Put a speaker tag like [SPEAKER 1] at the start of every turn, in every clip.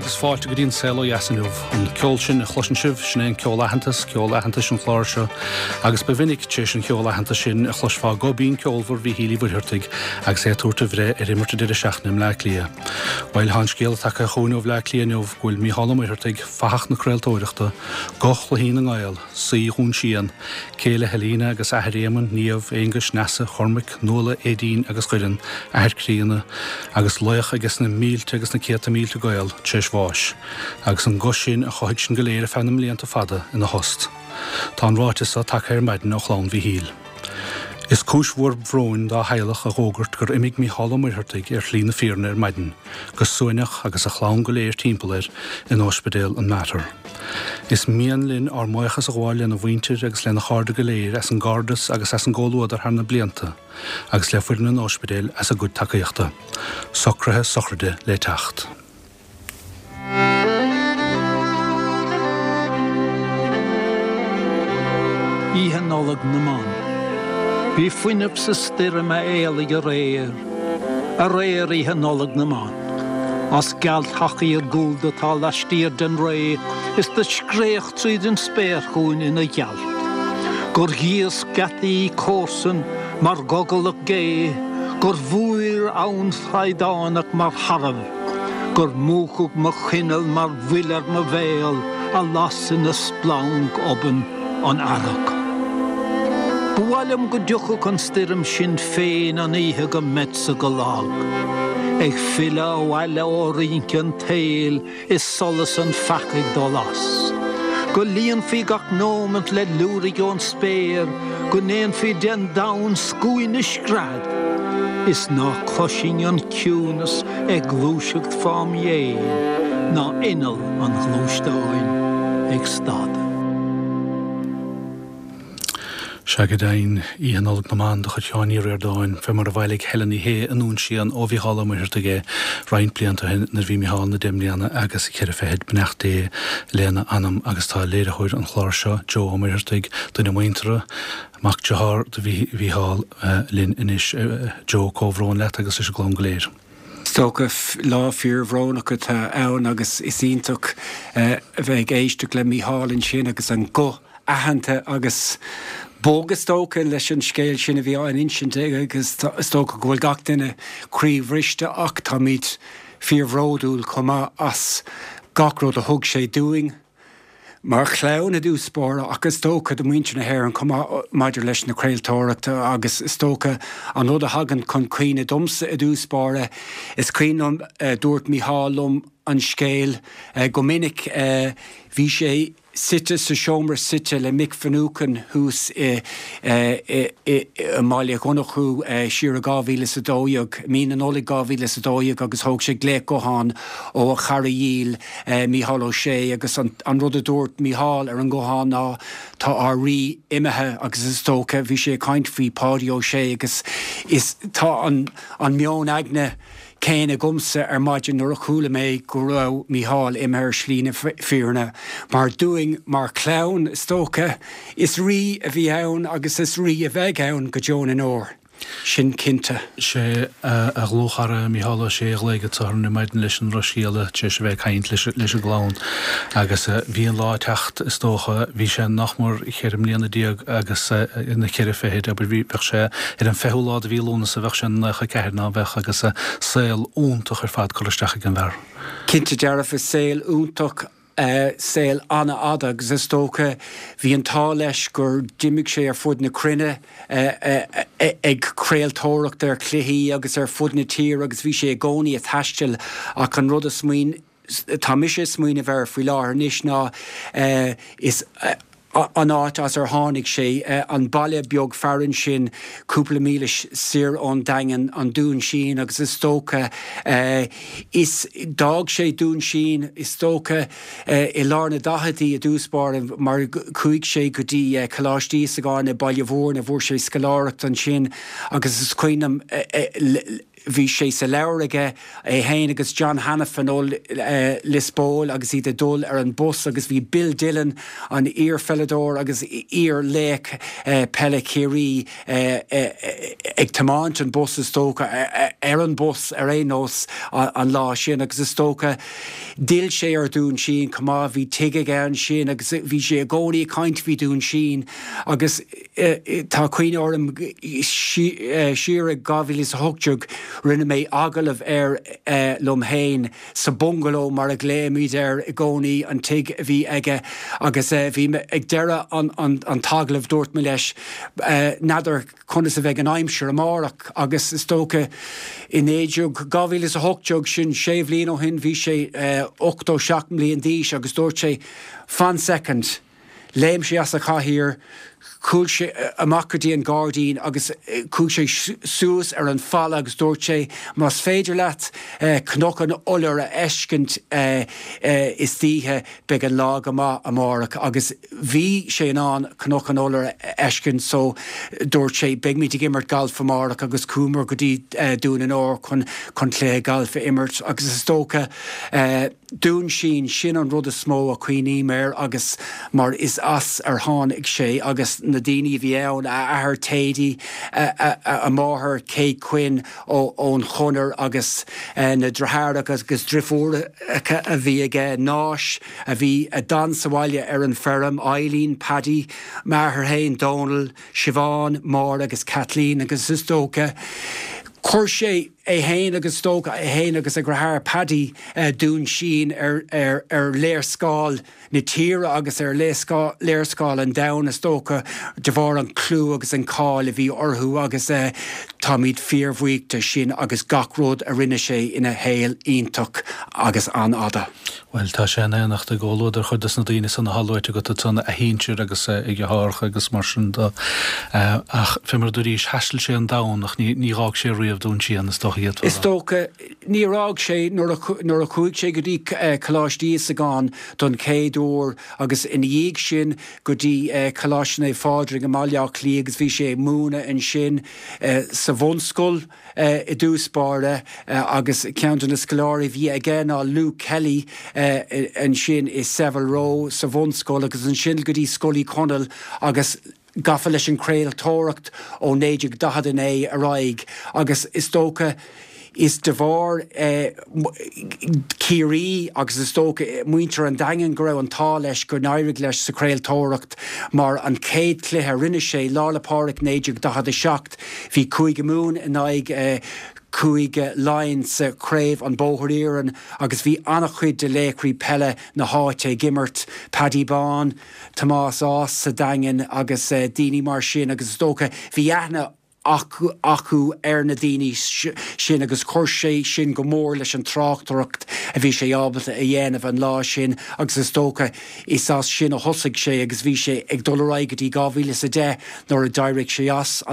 [SPEAKER 1] agus fáilte go dtí an Saol Ó Dheas inniu. An ceol sin a chloiseann sibh, sin é an ceol aitheantais, ceol aitheantais an chláir seo. Agus ba mhinic, tar éis an cheoil aitheantais sin, a chloisfeá guth binn ceolmhar Mhíchíl Uí Mhuircheartaigh agus é ag tabhairt a bhreith ar imirt an deireadh seachtaine i mBleá Cliath. Bhuel, tá an scéala tagtha chugainn ó Bhleá Cliath inniu go bhfuil Mícheál Ó Muircheartaigh, fathach na craoltóireachta, guth chluichí na nGael, saoi Dhún Síon, céile Helena agus athair Éamoinn, Niamh, Aonghuis, Neasa, Chormaic, Nuala, Aedín agus Dhoireann, athair críonna, agus laoch aige sna mílte agus na céadta mílte Gael, tar éis bháis. Agus an guth sin a chothaigh sinn go léir ar feadh na mblianta fada ina thost. Tá an ráiteas seo tagtha ar maidin ó chlann Mhíchíl. Is cúis mhór bhróin dá theaghlach a dh'fhógairt gur imigh Mícheál Ó Muircheartaigh ar shlí na fírinne ar maidin, go suaimhneach agus a chlann go léir timpeall air in Óispidéal an Mater. Is mian linn ár mbuíochas a ghabháil lena mhuintir agus lena chairde go léir as an gcairdeas agus as an gcomhluadar thar na blianta agus le foireann an Óispidéil as a gcuid tacaíochta. Socruithe sochraide le teacht.
[SPEAKER 2] Oíche Nollag na mBan. Bhí fuinneamh sa stoirm a éalaigh aréir, aréir Oíche Nollag na mBan. As gealtach iargúlta atá laistiar den ré is do scréach tríd an spéir chugainn ina ghealt. Gur ghíosc geataí comharsan mar ghogalach gé, gur bhúir abhainn shlaghdánach mar tharbh. Gur múchadh mo choinneal mar bhfuil ar mo bhéal a las ina splanc obann an earrach. Ba mhaith liom go dtiocfadh an stoirm sin féin an oíche go mbeadsa go lag, ag filleadh abhaile ó rince an tsaoil is solas an pheacaigh dul as. Go líonfaí gach nóimint le liúirigh ón spéir, go ndéanfaí den domhan scuaine scread, is ná cloisfinn an ciúnas ag gluaiseacht fám dhéin, ná inneall an ghluaisteáin ag stad.
[SPEAKER 1] Sea go deimhin, Oíche Nollag na mBan de chuid Sheáin Uí Ríordáin, fé mar a bhailigh Helen Ní Shé i nDún Síon ó Mhícheál Ó Muircheartaigh é roinnt blianta ó shin nuair a bhí Mícheál ina dheich mbliana agus cheithre fichid. Beannacht Dé lena anam agus tá léiritheoir an chláir seo, Joe Ó Muircheartaigh, duine muinteartha, mac dearthár do Mhícheál, linn anois. Joe, comhbhrón leat agus leis an gclann go léir.
[SPEAKER 3] Is dócha, lá fíorbhrónach atá ann agus is iontach a bheith ag éisteacht le Mícheál ansin agus an guth aitheanta agus bog is dócha leis an scéal sin a bhí á insint aige agus is dócha go bhfuil gach duine croíbhriste ach táimid fíorbhródúil chomh maith as gach rud a thug sé dúinn. mar chlann i dtús báire ach is dócha do mhuintir na hÉireann chomh maith maidir leis na craoltóireachta agus is dócha an rud a thagann chun cuimhne domsa i dtús báire is cuimhin liom dúirt Mícheál liom an scéal go minic bhí sé suite sa seomra suite le Mick Finucane thuas i i mBaile Dhonnchú siar i 2012, mí na Nollag 2012 agus thóg sé glaoch gutháin ó a chara dhíl Mícheál Ó Sé agus an rud a dúirt Mícheál ar an nguthán ná tá ár rí imithe agus is dócha bhí sé ag caint faoi Pháidí Ó Sé agus is tá an an meon aigne céanna agamsa ar maidin nuair a chuala mé go raibh Mícheál imithe ar shlí na fírinne mar dúinn mar chlann is dócha is rí a bhí ann agus is rí a bheidh ann go deo na ndeor. Sin cinnte.
[SPEAKER 1] Sé a dhlúthchara Mícheál Ó Sé a ghlaoigh go ar maidin leis an drochscéala tar éis a bheith ag caint leis an gclann agus bhí an lá ag teacht is dócha, bhí sé nach mór cheithre mbliana déag agus na ceithre fichid, abair, bhí, bheadh sé ar an fichiú lá de mhí Lúnasa bheadh sé 94 ná bheadh agus saol iontach ar fad curtha isteach ag an bhfear.
[SPEAKER 3] Cinnte dearfa, saol iontach, saol an-fhada agus is dócha bhí an t-ádh leis gur d'imigh sé ar fud na cruinne ag craoltóireacht ar chluichí agus ar fud na tíre agus bhí sé i gcónaí ag taisteal ach an rud a smaoin atá mise ag smaoineamh air faoi láthair anois ná is an áit as ar tháinig sé, an baile beag fearainn sin cúpla míle soir ón Daingean, an Dún Síon agus is dócha is d'fhág sé Dún Síon is dócha i lár na daicheadaí i dtús báire mar chuaigh sé go dtí Coláiste Íosagáin i Baile Mhúirne, fuair sé scoláireacht ansin agus is cuimhin liom. Bhí sé sa leabhar aige, é féin agus John Hanafin ó Lios Póil agus iad ag dul ar an bus agus bhí Bill Dillon, an iar-pheileadóir agus iar-laoch peile Chiarraí ag tiomáint an bus is dócha, ar an bus ar aon nós an lá sin agus is dócha d'fhill sé ar Dhún Síon chomh maith, bhí tigh aige ansin agus bhí sé i gcónaí ag caint faoi Dhún Síon agus tá cuimhne orm siar i 2018 rinne mé agallamh air liom féin sa bungalow mar a ghlaoimid air i gcónaí, an tigh a bhí aige agus bhí mé ag deireadh an t-agallamh dúirt mé leis n'fheadar conas a bheidh an aimsir amárach agus is dócha i 2018 sin sé bhliain ó shin bhí sé 87 mbliain d'aois agus dúirt sé fan soicind. Léim sé as a chathaoir, chuaigh sé amach go dtí an gairdín agus chuaigh sé suas ar an falla agus dúirt sé, Más féidir leat Cnoc an Iolair a fheiscint istoíche, beidh an lá go maith amárach. Agus bhí sé in ann Cnoc an Iolair a fheiscint so dúirt sé, Beimid ag imirt galf amárach agus chuamar go dtí Dún an Óir chun cluiche gailf a imirt agus is dócha, Dún Síon, sin an rud is mó a chuimhním air agus mar is as ar tháinig sé agus na daoine a bhí ann, a athair Thady, a máthair Kate Quinn ón Chonair agus na deartháireacha agus driofúracha a bhí aige, Náis a bhí a d'fhan sa bhaile ar an feirm, Eileen, Paddy, m'athair féin Dónal, Siobhán, Máire agus Kathleen agus is dócha chuir sé. é féin agus is dócha é féin agus a dheartháir Paddy Dún Síon ar léarscáil na tíre agus ar léarscáil an domhain is dócha de bharr an clú agus an cáil a bhí orthu agus táimid fíorbhuíoch de sin agus gach rud a rinne sé ina shaol iontach agus an-fhada.
[SPEAKER 1] Bhuel, tá sé in éineacht i gcomhluadar chuid des na daoine san atá luaite agat ansan, a shinsir agus a dheartháireacha agus mar sin de. Ach fé mar a dúraís, thaistil sé an domhan ach ní dh'fhág sé riamh Dún Síon, is dócha
[SPEAKER 3] iad. Is dócha. Níor fhág sé nuair a chuaigh sé go dtí Coláiste Íosagáin don chéad uair agus ina dhiaidh sin go dtí Coláiste Naomh Phádraig i mBaile Átha Cliath agus bhí sé ag múineadh ansin sa bhunscoil. i dtús báire agus ceann de na scoláirí a bhí aige ná Luke Kelly ansin i Savile Row sa bhunscoil agus ansin go dtí Scoil Uí Chonaill agus gafa leis an chraoltóireacht ó 1949 ar aghaidh agus is dócha is de bharr Ciarraí agus is dócha muintir an Daingin go raibh an t-ádh leis go n-éirigh leis sa chraoltóireacht mar an chéad chluiche a rinne sé, Lá 'le Pádraig 1947, Bhí Cúige Mumhan in aghaidh Cúige Laighean sa Chraobh an Bóthar Iarainn agus bhí an-chuid de laochraí peile na háite ag imirt, Paddy Bán, Tomás Ághas sa Daingean agus daoine mar sin agus is dócha bhí aithne acu ar na daoine sin agus chuir sé sin go mór leis an tráchtaireacht a bhí sé ábalta a dhéanamh an lá sin agus is dócha Is as sin a thosaigh sé agus bhí sé ag dul ar aghaidh go dtí 2010 nuair a d'éirigh sé as.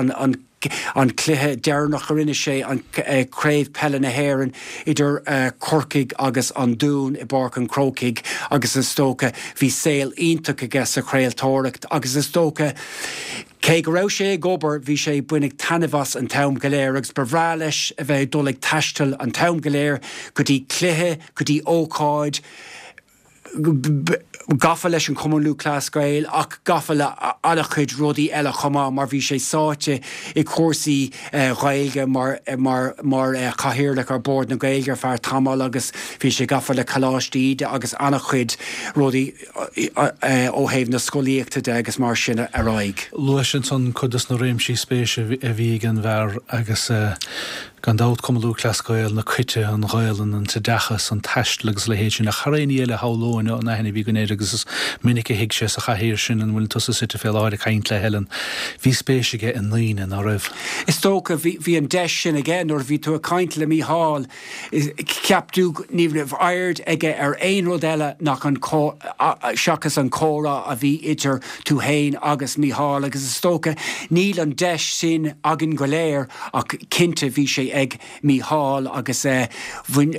[SPEAKER 3] An cluiche deireanach a rinne sé, an Craobh Peile na hÉireann idir Corcaigh agus an Dún i bPáirc an Chrócaigh agus is dócha bhí saol iontach aige sa chraoltóireacht agus is dócha cé go raibh sé ag obair bhí sé ag baineadh taitneamh as an t-am go léir agus ba bhreá leis a bheith ag dul ag taisteal an t-am go léir go dtí cluiche, go dtí ócáid. gafa leis an Chumann Lúthchleas Gael ach gafa le an-chuid rudaí eile chomh maith mar bhí sé sáite i cúrsaí Ghaeilge mar mar mar chathaoirleach ar Bord na Gaeilge ar feadh tamaill agus bhí sé gafa le Coláiste Íde agus an-chuid rudaí ó thaobh na scolaíochta de agus mar sin ar aghaidh.
[SPEAKER 1] Luais ansan cuid des na réimsí spéise a bhí ag an bhfear agus Gan dabht, Cumann Lúthchleas Gael, na coite, an Ghaelainn, an t-oideachas, an taisteal agus a leithéid sin, ach thar aon ní eile shamhlóinn an aithne a bhí againn air agus is minic a shuigh sé sa chathaoir sin ina bhfuil tusa suite fé láthair ag caint le Helen. Bhí spéis aige i ndaoine, ná raibh?
[SPEAKER 3] Is dócha, bhí an deis sin aige nuair a bhí tú ag caint le Mícheál, cheap tú ní raibh aird aige ar aon rud eile nach an seachas an comhrá a bhí idir tú fhéin agus Mícheál agus is dócha níl an deis sin againn go léir ach cinnte bhí sé. sé ag Mícheál agus bhain,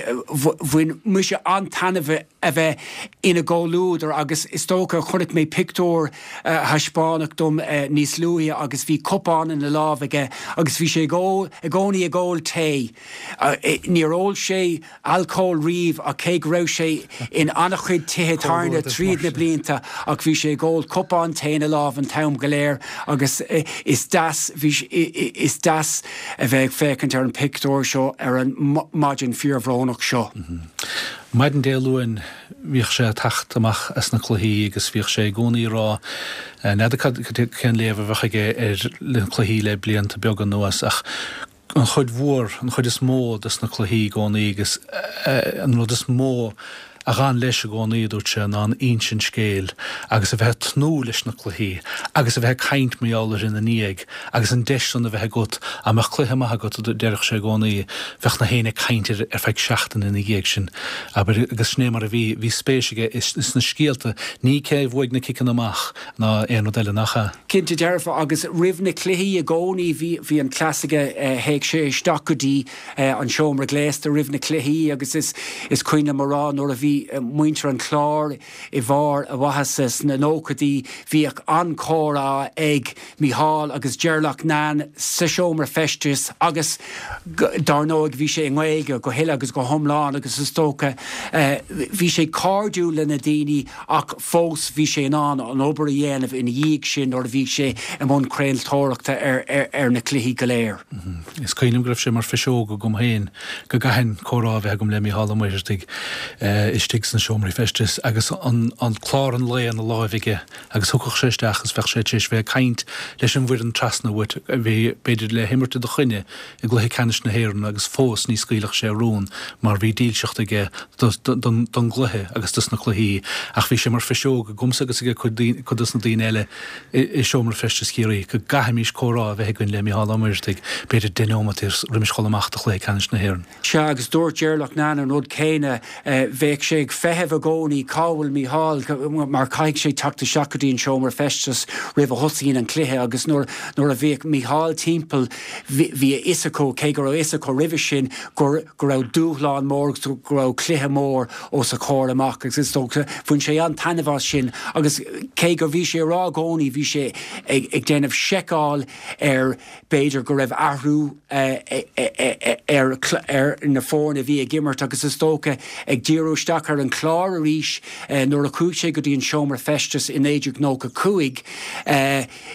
[SPEAKER 3] bhain mise an-taitneamh a bheith ina gcomhluadar agus is dócha, chonaic mé pictiúr a thaispeánadh dom níos luaithe agus bhí cupán ina lámh aige agus bhí sé ag ól, i gcónaí ag ól tae. Níor ól sé alcól riamh ach cé go raibh sé in an-chuid tithe tábhairne tríd na blianta ach bhí sé ag ól cupán tae ina lámh an t-am go léir agus is deas, bhí, is deas a bheith ag féachaint ar an pictiúr seo ar an maidin fíorbhrónach seo.
[SPEAKER 1] Maidin Dé Luain bhíodh sé ag teacht amach as na cluichí agus bhíodh sé i gcónaí ag rá, n'fheadar cad, cén léamh a bheadh aige ar na cluichí le blianta beaga anuas ach an chuid mhór, an chuid is mó des na cluichí i gcónaí agus an rud is mó a d'fhan leis i gcónaí, a dúirt sé, ná an insint scéil agus a bheith ag tnúth leis na cluichí agus a bheith ag caint mar gheall orthu ina ndiaidh agus an deis san a bheith agat, dá mbeadh cluiche maith agat, a deireadh sé i gcónaí, bheadh na héinne ag caint air ar feadh seachtaine ina dhiaidh sin, abair, agus sin é mar a bhí, bhí spéis aige sna scéalta, ní cé a bhuaigh na ciceanna amach ná aon rud eile, nach ea?
[SPEAKER 3] Cinnte dearfa, agus roimh na cluichí i gcónaí bhí bhí an cleas aige, théadh sé isteach go dtí an seomra gléasta roimh na cluichí agus is is cuimhin liom a rá nuair a bhí muintir an Chláir i bharr a mhaitheasa sna nóchaidí bhíodh an-chomhrá ag Mícheál agus Ger Loughnane sa seomra feistis agus dár ndóigh bhí sé i nGaeilge go huile agus go hiomlán agus is dócha bhí sé cairdiúil le na daoine Ach fós bhí sé in ann an obair a dhéanamh ina dhiaidh sin nuair a bhí sé i mbun craoltóireachta ar na cluichí go léir.
[SPEAKER 1] Is cuimhin liom go raibh sé mar phiseog agam féin go gcaithfinn comhrá a bheith agam le Mícheál Ó Muircheartaigh istigh sna seomraí feistis agus an clár an lae ina láimh aige agus thiocfadh sé isteach agus bheadh sé tar éis bheith ag caint leis an bhfoireann trasna uait a bhí b'fhéidir le himirt i do choinne i gcluiche ceannais na hÉireann agus fós ní scaoilfeadh sé a rún mar bhí dílseacht aige don gcluiche agus dos na cluichí ach bhí sé mar phiseog agamsa agus ag cuid dos na daoine eile i seomra feistis Chiarraí go gcaithfimis comhrá a bheith againn le Micheál Ó Muircheartaigh b'fhéidir deich neomat roimis dhul amach do chluiche ceannais na hÉireann.
[SPEAKER 3] Sea, agus dúirt Ger Loughnane an rud céanna, bheadh sé ag feitheamh i gcónaí cá bhfuil Mícheál mar caithfidh sé teacht isteach go dtí an seomra feistis roimh a thosaíonn an cluiche agus nuair a bhíodh Mícheál timpeall bhí a fhios acu, cé go raibh a fhios acu roimhe sin, go go raibh dúshlán mór agus go raibh cluiche mór os a chomhair amach agus is dócha bhain sé an-taitneamh as sin agus cé gur bhí sé ag rá i gcónaí bhí sé ag déanamh seiceáil ar b'fhéidir go raibh athrú ar ar na foirne a bhí ag imirt agus is dócha ag díriú isteach ar an Chlár arís nuair a chuaigh sé go dtí an seomra feistis i 1995.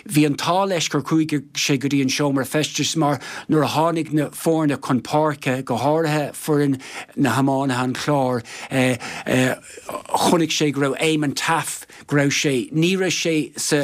[SPEAKER 3] Bhí an t-ádh leis gur chuaigh sé go dtí an seomra feistis mar nuair a tháinig na foirne chun páirce, go háirithe foireann na hiománaithe an Chláir, chonaic sé go raibh Eamon Taaffe, go raibh sé, ní raibh sé sa,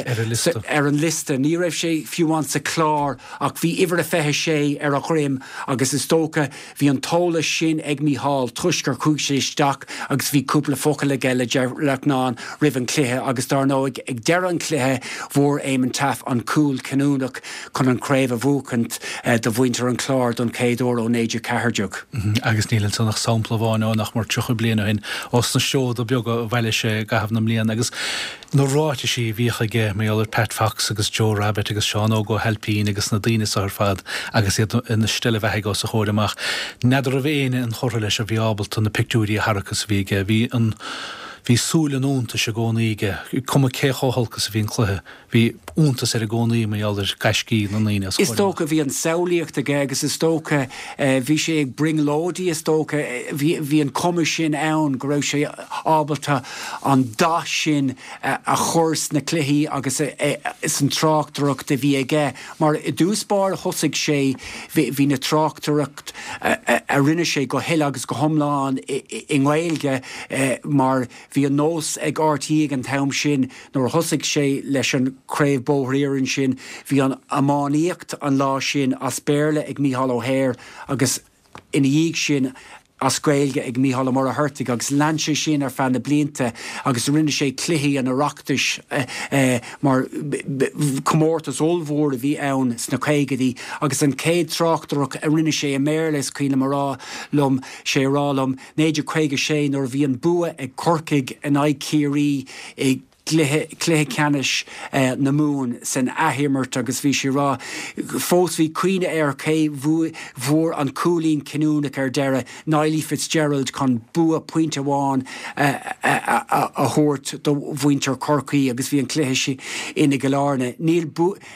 [SPEAKER 3] ar an liosta, ní raibh sé fiú amháin sa chlár ach bhí uimhir a 26 ar a dhroim agus is dócha Bhí an t-eolas sin ag Mícheál toisc gur chuaigh sé isteach agus bhí cúpla focal aige le Ger Loughnane roimh an chluiche agus dar ndóigh ag deireadh an chluiche bhfuair Éamonn Taaffe an cúl cinniúnach chun an chraobh a bhuachaint do mhuintir an Chláir don chéad uair ó 1914.
[SPEAKER 1] Agus níl ansan ach sampla amháin ó nach mór 30 bliain ó shin, ós na seoda beaga a bhailigh sé i gcaitheamh na mblian agus Na ráitisí a bhíodh aige mar gheall ar Pat Fox agus Joe Rabbitte agus Seán Óg Ó hAilpín agus na daoine so ar fad agus iad ina steillebheathaigh os a chomhair amach. N'fheadar raibh éinne inchurtha leis a bhí ábalta na pictiúirí a tharrac is a bhí aige. Bhí an, bhí súil an iontais i gcónaí aige, cuma cé chomh holc is a bhí an cluiche. Bhí iontas air i gcónaí mar gheall ar gaiscí na ndaoine
[SPEAKER 3] os a
[SPEAKER 1] Is
[SPEAKER 3] chomhair amach. dócha bhí an samhlaíocht aige agus is dócha bhí sé ag brionglóidí is dócha bhí, bhí an cuma sin ann go raibh sé ábalta an dath sin a chur sna cluichí agus san tráchtaireacht a bhí aige mar i dtús báire thosaigh sé, bhí na tráchtaireacht a rinne sé go huile agus go hiomlán i nGaeilge mar bhí an nós ag RTÉ ag an t-am sin nuair a thosaigh sé leis an Craobh Bóthar Iarainn sin bhí an iománaíocht an lá sin as Béarla ag Mícheál Ó hEithir agus ina dhiaidh sin as Gaeilge ag Mícheál Ó Muircheartaigh agus lean sé sin ar feadh na blianta agus rinne sé cluichí an Oireachtais mar comórtas ollmhór a bhí ann sna caogaidí agus an chéad tráchtaireacht a rinne sé i mBéarla is cuimhin liom a rá liom sé a rá liom 1956 nuair a bhí an bua ag Corcaigh in aghaidh Chiarraí i. gcluiche, cluiche ceannais na Mumhan san athimirt agus bhí sé ag rá fós bhí cuimhne air cé bhfuair an cúilín cinniúnach ar deireadh, Niallie Fitzgerald chun bua pointe amháin a thabhairt do mhuintir Chorcaí agus bhí an cluiche sin i gCill Airne. Níl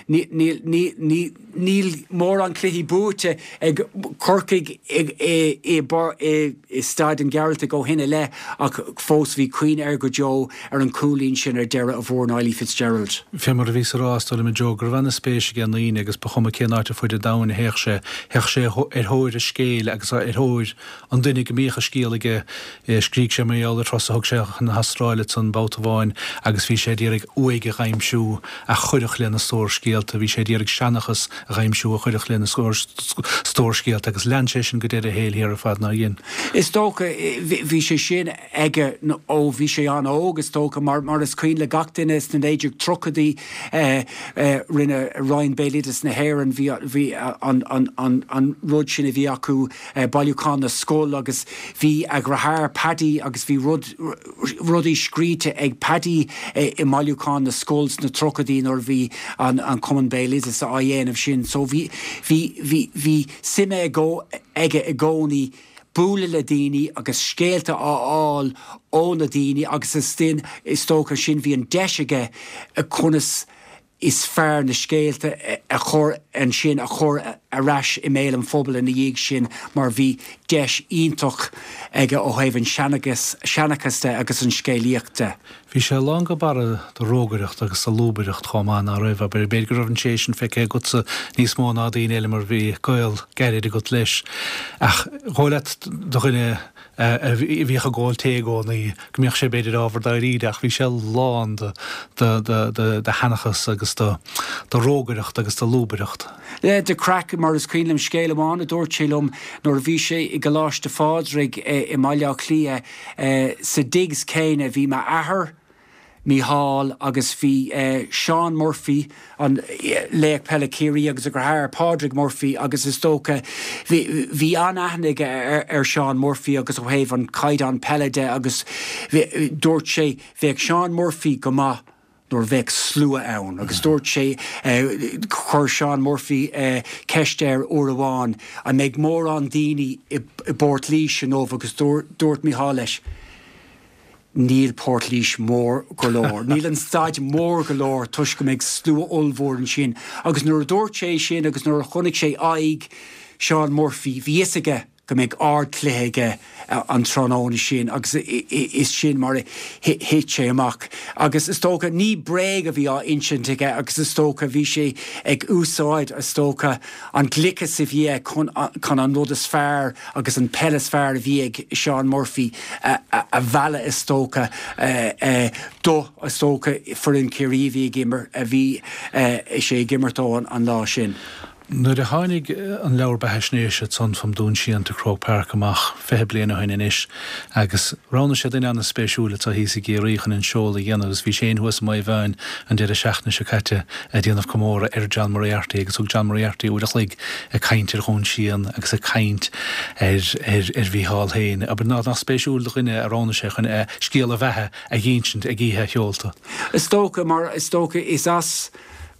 [SPEAKER 3] níl níl ní Níl mórán cluichí buaite ag Corcaigh i Staid an Ghearaltaigh ó shin i leith ach fós bhí cuimhne air go deo ar an chúilín sin ar deireadh a bhfuair Niallie Fitzgerald.
[SPEAKER 1] Fé mar a bhíos a rá, is dóigh liom, a Joe, go raibh ana-spéis aige i ndaoine agus ba chuma cén áit ar fuid an domhain a théadh sé, théadh sé ar thóir an scéil agus ar thóir an duine go mbíodh a scéal aige. Scrígh sé mar gheall ar thuras a thug sé chun na hAstráile ansan babhta amháin agus bhí sé d'iarraidh uaigh a dh'aimsiú a chuirfeadh lena stór scéalta. Bhí sé d'iarraidh seanchas a dh'aimsiú a chuirfeadh lena stór scéalta agus lean sé sin go deireadh a shaoil thiar ar fad, nár dhein?
[SPEAKER 3] Is dócha, bhí sé sin aige ó bhí sé an-óg, is dócha, mar mar is cuimhin le gach duine sna 1930idí rinne Roinn Béaloideas na hÉireann, bhí bhí an an an rud sin a bhí acu, Bailiúchán na Scol agus bhí a dheartháir Paddy agus bhí rud, rudaí scríte ag Paddy i mBailiúchán na Scol sna tríochaidí nuair a bhí an an Cumann Béaloideasa á dhéanamh sin. So bhí, bhí, bhí, bhí suim aige i gcónaí bualadh le daoine agus scéalta a fháil ó na daoine agus is, is dócha sin bhí an deis aige conas is fearr na scéalta a chur ansin, a chur ar ais i mbéal an phobail ina dhiaidh sin mar bhí deis iontach aige ó thaobh an seanchas de agus an scéalaíocht de.
[SPEAKER 1] Bhí sé lán go barra de rógaireacht agus de lúbaireacht chomh maith, ná raibh? Abair, b'fhéidir go raibh an tréith sin feicthe agatsa níos mó ná daoine eile mar bhí gaol gairid agat leis. Ach dhóigh leat do dhuine a bhíodh ag ól tae i gcónaí, go mbíodh sé b'fhéidir ábhar dáiríre ach bhí sé lán de sheanchas agus de rógaireacht agus de lúbaireacht.
[SPEAKER 3] De chraic, mar is cuimhin liom scéal amháin a dúirt sé liom nuair a bhí sé i gColáiste Phádraig i mBaile Átha Cliath sa digs céanna bhí m'athair, Mícheál agus bhí Seán Murphy, an laoch peile Ciarraí agus a dheartháir Pádraig Murphy agus is dócha bhí bhí an-aithne aige ar Seán Murphy agus ó thaobh an caighdeán peile de agus dúirt sé bheadh Seán Murphy go maith nuair a bheadh slua ann agus dúirt sé chuir Seán Murphy ceist air uair amháin an mbeidh mórán daoine i bPort Laoise inniu agus dúirt Mícheál leis Níl Port Laoise mór go leor. Níl an staid mór go leor toisc go mbeidh slua ollmhór ansin. Agus nuair a dúirt sé sin agus nuair a chonaic sé aghaidh Seán Murphy, bhí fhios aige go mbeidh ardchluiche aige an tráthnóna sin agus is sin mar a thit sé amach. Agus is dócha, ní bréag a bhí á insint aige agus is dócha bhí sé ag úsáid, is dócha, an gliceas a bhí aige chun an rud is fearr agus an peil is fearr a bhí ag Seán Murphy a mhealladh is dócha do, is dócha, foireann Chiarraí a bhí ag imirt, a bhí sé ag imirt dó an lá sin.
[SPEAKER 1] Nuair a tháinig an leabhar beathaisnéise ansan From Dún Síon to Croke Park amach 20 bliain ó shin anois agus roghnaigh sé duine an-spéisiúil atá thíos i gCiarraí chun an seoladh a dhéanamh agus bhí sé féin thuas i Maigh Mheáin an deireadh seachtaine seo caite ag déanamh comóradh ar John Moriarty agus thug John Moriarty uair a chloig ag caint ar Dhún Síon agus ag caint ar ar ar Mhícheál féin. Abair nach spéisiúil do dhuine a roghnaigh sé chun a scéal a bheatha a dh'insint ag oíche a sheolta.
[SPEAKER 3] Is dócha, mar is dócha is as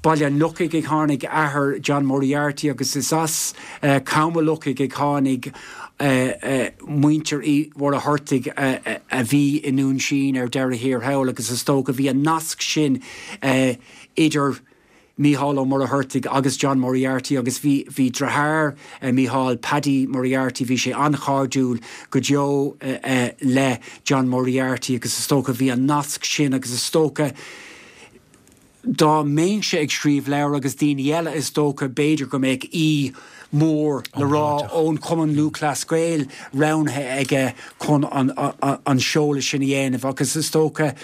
[SPEAKER 3] Baile an Lochaigh a tháinig athair John Moriarty agus is as Com an Lochaigh a tháinig muintir Uí Mhuircheartaigh a bhí i nDún Síon ar deireadh thiar thall agus is dócha bhí an nasc sin idir Mícheál Ó Muircheartaigh agus John Moriarty agus bhí, bhí deartháir Mícheál, Paddy Moriarty, bhí sé an-chairdiúil go deo le John Moriarty agus is dócha bhí an nasc sin agus is dócha dá mbeinnse ag scríobh leabhar agus daoine eile is dócha b'fhéidir go mbeadh aoi mór le rá ón Chumann Lúthchleas Gael roghnaithe aige chun an seoladh sin a dhéanamh agus is dócha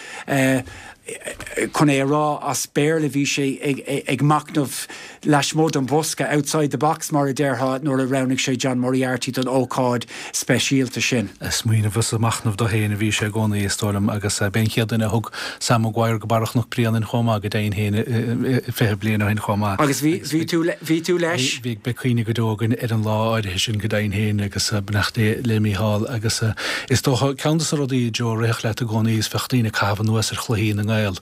[SPEAKER 3] chun é a rá as Béarla bhí sé ag machnamh lasmuigh den bhosca, outside the box mar a déarfá, nuair a roghnaigh sé John Moriarty don ócáid speisialta sin.
[SPEAKER 1] Ag smaoineamh is ag machnamh dó féin a bhí sé i gcónaí, is dóigh liom, agus b'é an chéad duine a thug Sam Maguire go barra Chnoc Bréanainn chomh maith, go deimhin féin, 20 bliain ó shin chomh maith.
[SPEAKER 3] Agus bhí tú, bhí tú leis?
[SPEAKER 1] Bhí, beidh cuimhne go deo againn ar an lá áirithe sin, go deimhin féin, agus beannacht Dé le Mícheál. Agus is dócha, ceann de na rudaí, Joe, a rithfeadh leat i gcónaí is bheadh daoine ag caitheamh anuas ar chluichí na nGael. nGael.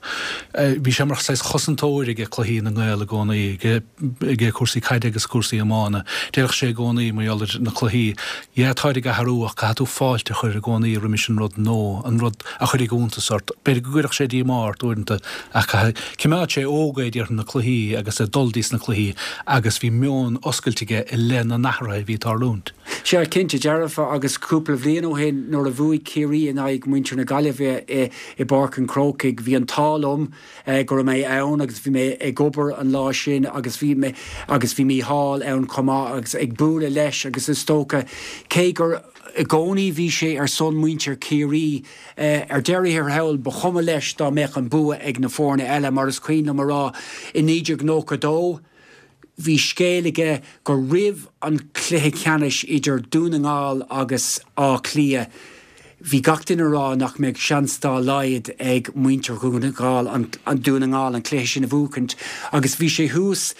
[SPEAKER 1] Bhí sé mar saghas chosantóir aige cluichí na nGael i gcónaí, aige cúrsaí caide agus cúrsaí iomána. Déarfadh sé i gcónaí mar gheall ar na cluichí, yeah táid ag athrú ach caithfidh tú fáilte a chur i gcónaí roimis an rud nua, an rud a chuirfidh iontas ort. B'fhéidir go gcuirfeadh sé díomá ort uaireanta ach caithfidh, cimeád sé óg é déarfainn na cluichí agus ag dul dtís na cluichí agus bhí meon oscailte aige i leith na n-athruithe a bhí ag tarlúint.
[SPEAKER 3] Sea, cinnte dearfa agus cúpla bhliain ó shin nuair a bhuaigh Ciarraí in aghaidh muintir na Gaillimhe i bPáirc an Chrócaigh bhí an t-ádh liom go raibh mé ann agus bhí mé ag obair an lá sin agus bhí mé agus bhí Mícheál ann chomh maith agus ag bualadh leis agus is dócha cé gur i gcónaí bhí sé ar son muintir Chiarraí ar deireadh thiar thall ba chuma leis dá mbeadh an bua ag na foirne eile mar is cuimhin liom a rá i 1992 Bhí scéal aige gur roimh an chluiche ceannais idir Dún na nGall agus Áth Cliath, bhí gach duine a rá nach mbeadh seans dá laghad ag muintir Dhún na nGall an Dún na nGall an cluiche sin a bhuachaint agus bhí sé thuas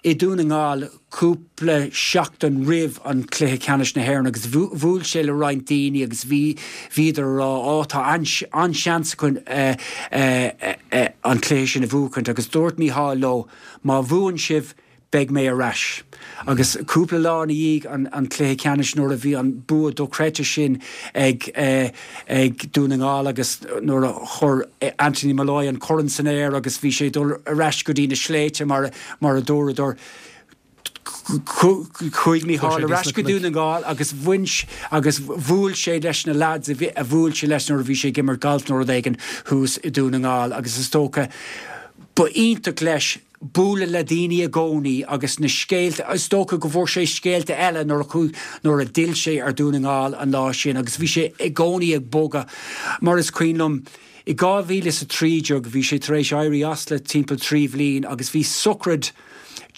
[SPEAKER 3] i Dún na nGall cúpla seachtain roimh an chluiche ceannais na hÉireann agus bhuail sé le roinnt daoine agus bhí bhíodar a rá á tá an-seans againn an cluiche sin a bhuachaint agus dúirt Mícheál leo Má bhuann sibh, beidh mé ar ais. Agus cúpla lá ina dhiaidh an chluiche ceannais nuair a bhí an bua dochreidte sin ag ag Dún na nGall agus nuair a chuir Anthony Molloy an corn san aer agus bhí sé ag dul ar ais go dtí na sléibhte mar mar a dúradar, Chuaigh Mícheál ar ais go Dún na nGall agus bhain agus bhuail sé leis na lads a bhuail sé leis nuair a bhí sé ag imirt galf nó rud éigin thuas i Dún na nGall agus is dócha ba iontach leis bualadh le daoine i gcónaí agus na scéalta, is dócha go bhfuair sé scéalta eile nuair a chuaigh, nuair a d'fhill sé ar Dhún na nGall an lá sin agus bhí sé i gcónaí ag bogadh mar is cuimhin liom i 2013 bhí sé tar éis éirí as le timpeall 3 bhliain agus bhí sochraid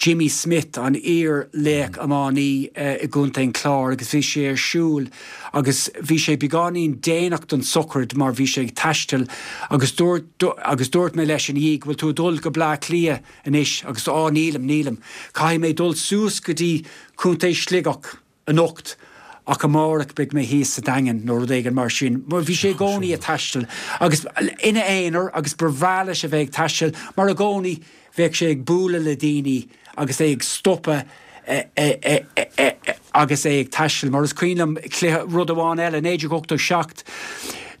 [SPEAKER 3] Jimmy Smith, an iar-laoch iománaí i gContae an Chláir agus bhí sé ar siúl agus bhí sé beagáinín déanach don sochraid mar bhí sé ag taisteal agus dúirt agus dúirt mé leis ina dhiaidh bhfuil tú ag dul go Bleá Cliath anois agus á nílim, nílim, caithfidh mé dul suas go dtí Contae Sligeach. anocht ach amárach beidh mé thíos sa Daingean nó rud éigin mar sin. Bhí sé i gcónaí ag taisteal agus ina aonar agus ba bhreá leis a bheith ag taisteal mar i gcónaí bheadh sé ag bualadh le daoine agus é ag stopadh agus é ag taisteal. Mar is cuimhin liom cluiche, rud amháin eile, 1987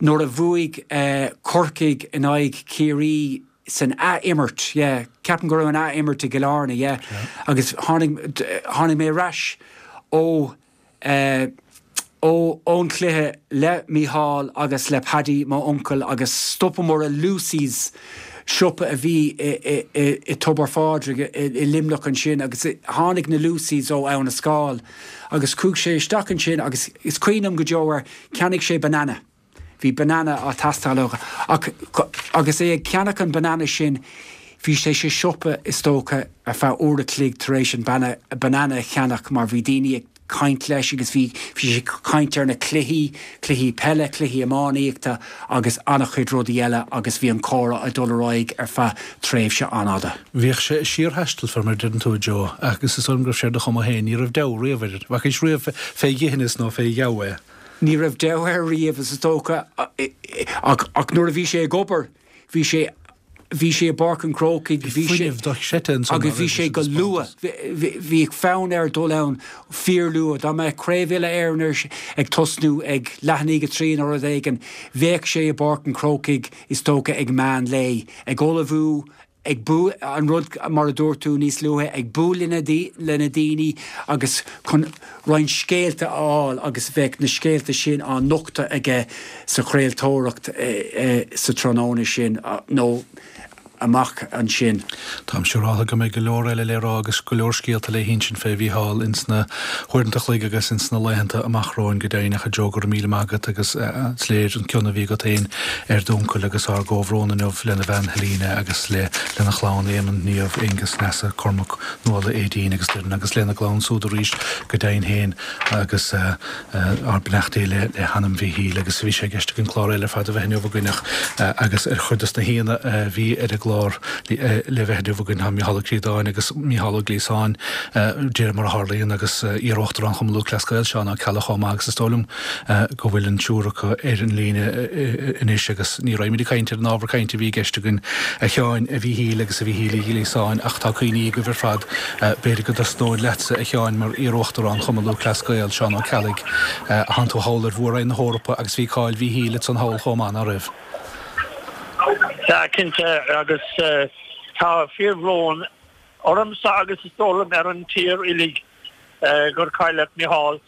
[SPEAKER 3] nuair a bhuaigh Corcaigh in aghaidh Chiarraí, san ath-imirt, yeah, ceapaim go raibh an ath-imirt i gCill Airne, yeah, agus tháinig, tháinig mé ar ais ó, eh, ó, ón chluiche le Mícheál agus le Paddy, mo uncail, agus stopamar i Lucy's, siopa a bhí i, i, i, i Tobar Phádraig i, i Luimneach ansin agus tháinig na Lucys ó Abhainn an Scáil agus chuaigh sé isteach ansin agus is cuimhin liom go deo ar, cheannaigh sé banana. Bhí banana á teastáil uaidh ach agus é ag ceannach an banana sin bhí sé sa siopa is dócha ar feadh uair a chloig tar éis an banana a cheannach mar bhí daoine ag caint leis agus bhí bhí sé ag caint ar na cluichí, cluichí peile, cluichí iománaíochta agus an-chuid rudaí eile agus bhí an comhrá ag dul ar aghaidh ar feadh tréimhse an-fhada.
[SPEAKER 1] Bhíodh sé ag síorthaisteal fé mar a deireann tú a Joe agus is dóigh liom go raibh sé ar do chuma féin, ní raibh deabhadh riamh air, bhfacaís riamh fé dhithineas nó fé gheamh é.
[SPEAKER 3] Ní raibh deabhadh air riamh, is dócha, ach nuair a bhí sé ag obair, bhí sé, bhí sé i bPáirc an Chrócaigh, bhí sé, agus bhí sé go luath, bhíodh fonn air dul ann fíorluath, dá mbeadh Craobh Uile-Éireann ag tosnú ag leath i ndiaidh a trí nó rud éigin, bheadh sé i bPáirc an Chrócaigh, is dócha, ag meán lae, ag ullmhú, ag bualadh, an rud mar a dúirt tú níos luaithe, ag bualadh le na daoine agus chun roinnt scéalta a fháil agus bheadh na scéalta sin á nochtadh aige sa chraoltóireacht sa tráthnóna sin nó amach ansin.
[SPEAKER 1] Táim siúráltha go mbeidh go leor eile le rá agus go leor scéalta le hinsint fé Mhícheál ins na huaireanta a chloig agus ins na laethanta amach romhainn go deimhin ach a Joe go raibh míle maith agat agus is léir an cion a bhí agat féin ar d'uncail agus ár gcomhbhrón inniu lena bhean Helena agus le lena chlann Éamonn, Niamh, Aengus, Neasa, Cormac, Nuala, Aedín agus Doireann agus lena gclann súd arís go deimhin féin agus ár mbeannachtaí le le hanam Mhíchíl agus bhí sé i gceist againn clár eile ar fad a bheith inniu againn ach agus ar chuid dos na haíonna a bhí ar an gclár. chlár le bheith inniu againn. Tá Mícheál Ó Críodáin agus Mícheál Ó Gliasáin, de réir mar a tharlaíonn, agus iar-Uachtarán Chumann Lúthchleas Gael, Seán Ó Ceallaigh chomh maith agus is dóigh liom go bhfuil an triúr acu ar an líne anois agus ní raghaimid ag caint ar an ábhar cainte a bhí i gceist againn, a Sheáin, a Mhíchíl agus a Mhíchíl Uí Ghliasáin ach tá cuimhní agaibh ar fad. B'fhéidir go dtosnóinn leatsa, a Sheáin, mar iar-Uachtarán Chumann Lúthchleas Gael, Seán Ó Ceallaigh. Thánn tú thall ar Mhór-Roinn na hEorpa agus bhí cáil Mhíchíl ansan thall chomh maith, ná raibh?
[SPEAKER 4] Sea, cinnte, agus tá fíorbhrón ormsa agus is dóigh liom ar an tír uilig gur cailleadh Micheál.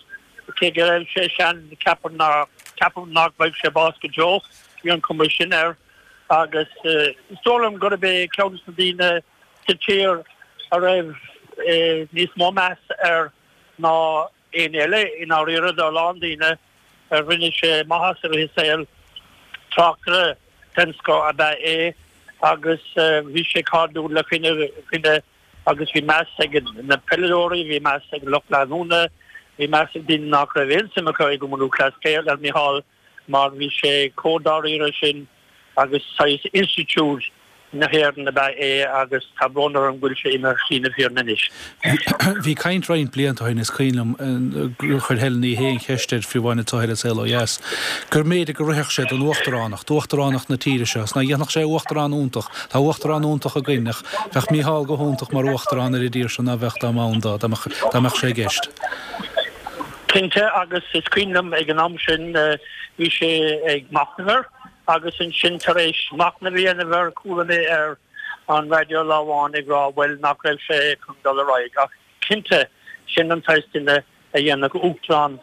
[SPEAKER 4] Cé go raibh sé sean, ceapaim nach bhfaighidh sé bás go deo, bhí an chuma sin air. Agus is dóigh liom gurb é ceann de na daoine sa tír a raibh níos mó meas air ná éinne eile i ndáiríre do a lán daoine. Rinne sé maitheas i rith a saoil. Tráchtaire den scoth ab ea é agus bhí sé cairdiúil le chuile dhuine agus bhí meas ag na peileadóirí, bhí meas ag lucht leanúna, bhí meas ag daoine nach raibh aon suim acu i gCumann Lúthchleas Gael ar Micheál mar bhí sé chomh dáiríre sin agus saghas institiúid na hÉireann ab ea é agus tá brón orm go bhfuil sé imithe ar shlí na fírinne anois.
[SPEAKER 1] Bhí caint roinnt blianta ó shin, is cuimhin liom gur chuir Helen Ní Shé an cheist air fiú amháin anseo ar An Saol Ó Dheas, gur mb'fhéidir go rithfeadh sé don uachtaránacht, uachtaránacht na tíre seo, is ná dhéanfadh sé uachtarán iontach, tá uachtarán iontach againn ach bheadh Mícheál go hiontach mar uachtarán ar an dtír seo ná bheadh dá mba ann dó, dá mbeadh sé i gceist.
[SPEAKER 4] Cinnte, agus is cuimhin liom ag an am sin bhí sé ag machnamh air agus ansin tar éis machnamh a dhéanamh air chuala mé ar an raidió lá amháin ag rá bhuel nach raibh sé chun dul ar aghaidh ach cinnte sin an saghas duine a dhéanfadh uachtarán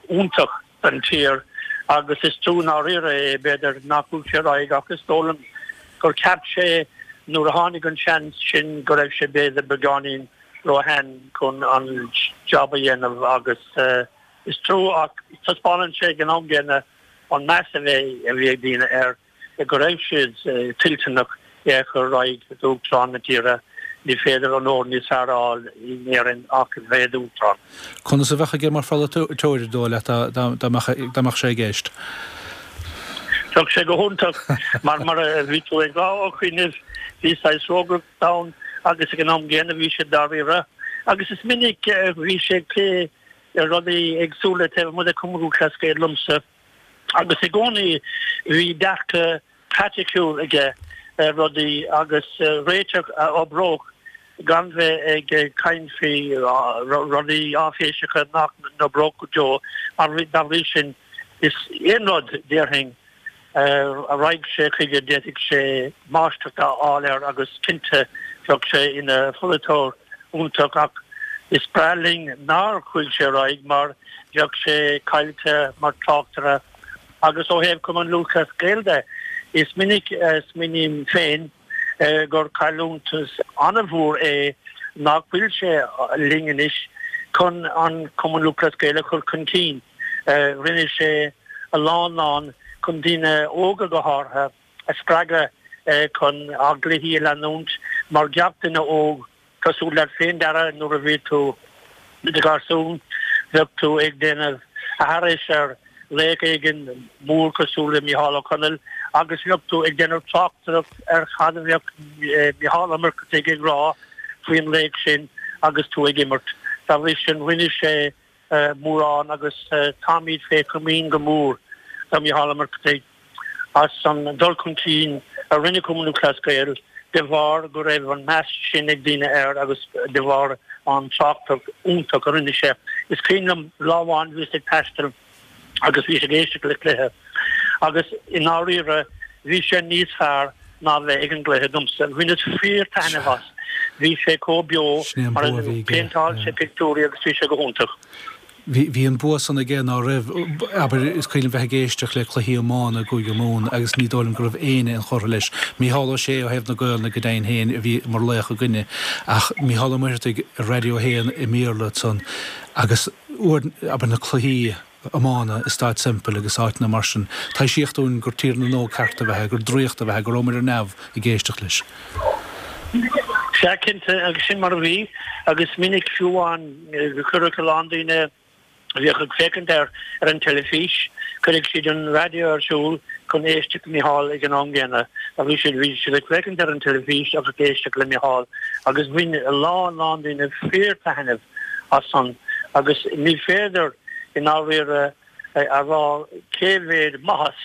[SPEAKER 4] iontach don tír agus is trua i ndáiríre é b'fhéidir nach bhfuil sé ar aghaidh ach is dóigh liom gur cheap sé nuair a tháinig an seans sin go raibh sé b'fhéidir beagáinín róshean chun an job a dhéanamh agus is trua ach taispeánann sé ag an am gcéanna an meas a bhí ag daoine air go raibh siad toilteanach é a chur ar aghaidh d'Uachtarán na tíre. Ní féidir onóir níos fearr a fháil in Éirinn ach bheith i d'Uachtarán.
[SPEAKER 1] Conas a bheadh aige mar pholaiteoir, dóigh leat, dá mbeadh sé i gceist?
[SPEAKER 4] Bheadh sé go hiontach mar mar a bhí tú ag rá a Choinnibh, bhí saghas rógaireacht ann agus ag an am gcéanna bhí sé dáiríre agus is minic a bhí sé ag plé rudaí éagsúla taobh amuigh de Chumann Lúthchleas Gael liomsa agus i gcónaí bhí dearcadh praiticiúil aige ar rudaí agus réiteach a oibreodh gan bheith ag caint faoi rudaí áiféiseacha nach n-oibreodh go deo mar dá bhrí sin is aon rud déarfainn a raghadh sé chuige d'fhéadfadh sé máistreacht a fháil air agus cinnte bheadh sé ina pholaiteoir iontach ach is breá linn nár chuaigh sé ar aghaidh mar bheadh sé caillte mar tráchtaire agus ó thaobh Cumann Lúthchleas Gael de is minic a smaoiním féin gur cailliúntas an-mhór é nach bhfuil sé linn anois chun an Cumann Lúthchleas Gael a chur chun cinn. Rinne sé a lán lán chun daoine óga go háirithe a spreagadh chun ár gcluichí a leanúint mar gach duine óg cosúil leat féin Dara nuair a bhí tú i do gharsún bheadh tú ag déanamh aithris ar laoch éigin mór cosúil le Mícheál Ó Conaill agus bheadh tú ag déanamh tráchtaireacht ar cad a bheadh Mícheál Ó Muircheartaigh ag rá faoin laoch sin agus tú ag imirt. Dá bhrí sin rinne sé mórán agus táimid fé chomaoin go mór do Mhícheál Ó Muircheartaigh as an dul chun cinn a rinne Cumann Lúthchleas Gael de bharr go raibh an meas sin ag daoine air agus de bharr an tráchtaireacht iontach a rinne sé. Is cuimhin liom lá amháin bhíos ag taisteal agus bhíos ag éisteacht le cluiche agus i ndáiríre bhí sé níos fearr ná bheith ag an gcluiche domsa. Bhaineas fíor taitneamh as. Bhí sé chomh beo mar phéinteáil sé pictiúirí agus bhí sé go hiontach.
[SPEAKER 1] Bhí an bua san aige ná raibh, abair, is cuimhin liom bheith ag éisteacht le cluichí iomána i gCúige Mumhan agus ní dóigh liom go raibh éinne inchurtha leis. Mícheál Ó Sé ó thaobh na Gaolainne go deimhin féin a bhí mar laoch againne ach Mícheál Ó Muircheartaigh ar Raidió 1 i mBéarla ansan agus uair, abair, na cluichí iomána i Staid Semple agus áiteanna mar sin, taibhsíodh dúinn gur Tír na nÓg ceart ab ea é, gur draíocht ab ea é, go rabhamar ar neamh ag éisteacht leis.
[SPEAKER 4] Sea, cinnte, agus sin mar a bhí, agus minic fiú amháin go cuireadh a lán daoine a bhíodh ag féachaint air ar an teilifís, cuireadh siad an raidió ar siúl. chun éisteacht le Micheál ag an am gcéanna. Bhí siad bhí siad ag féachaint ar an teilifís agus ag éisteacht le Micheál agus bhain a lán lán daoine fíor-taitneamh as san agus ní féidir i ndáiríre a rá cé mhéad maitheas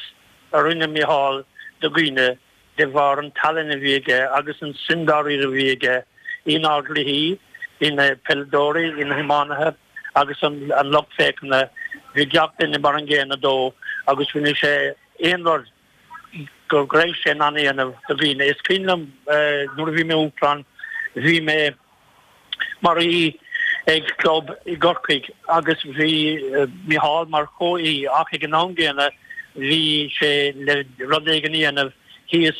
[SPEAKER 4] a rinne Micheál do dhaoine de bharr an tallann a bhí aige agus an suim dáiríre a bhí aige inár gcluichí, ina peileadóirí, ina hiománaithe agus an lucht féachana. Bhí gach duine mar an gcéanna dó agus rinne sé aon rud go raibh sé in ann a dhéanamh do dhaoine. Is cuimhin liom nuair a bhí mé Uachtarán, bhí mé mar aoi ag club i gCorcaigh agus bhí Micheál mar chomh-aoi ach ag an am gcéanna bhí sé le rud éigin a dhéanamh thíos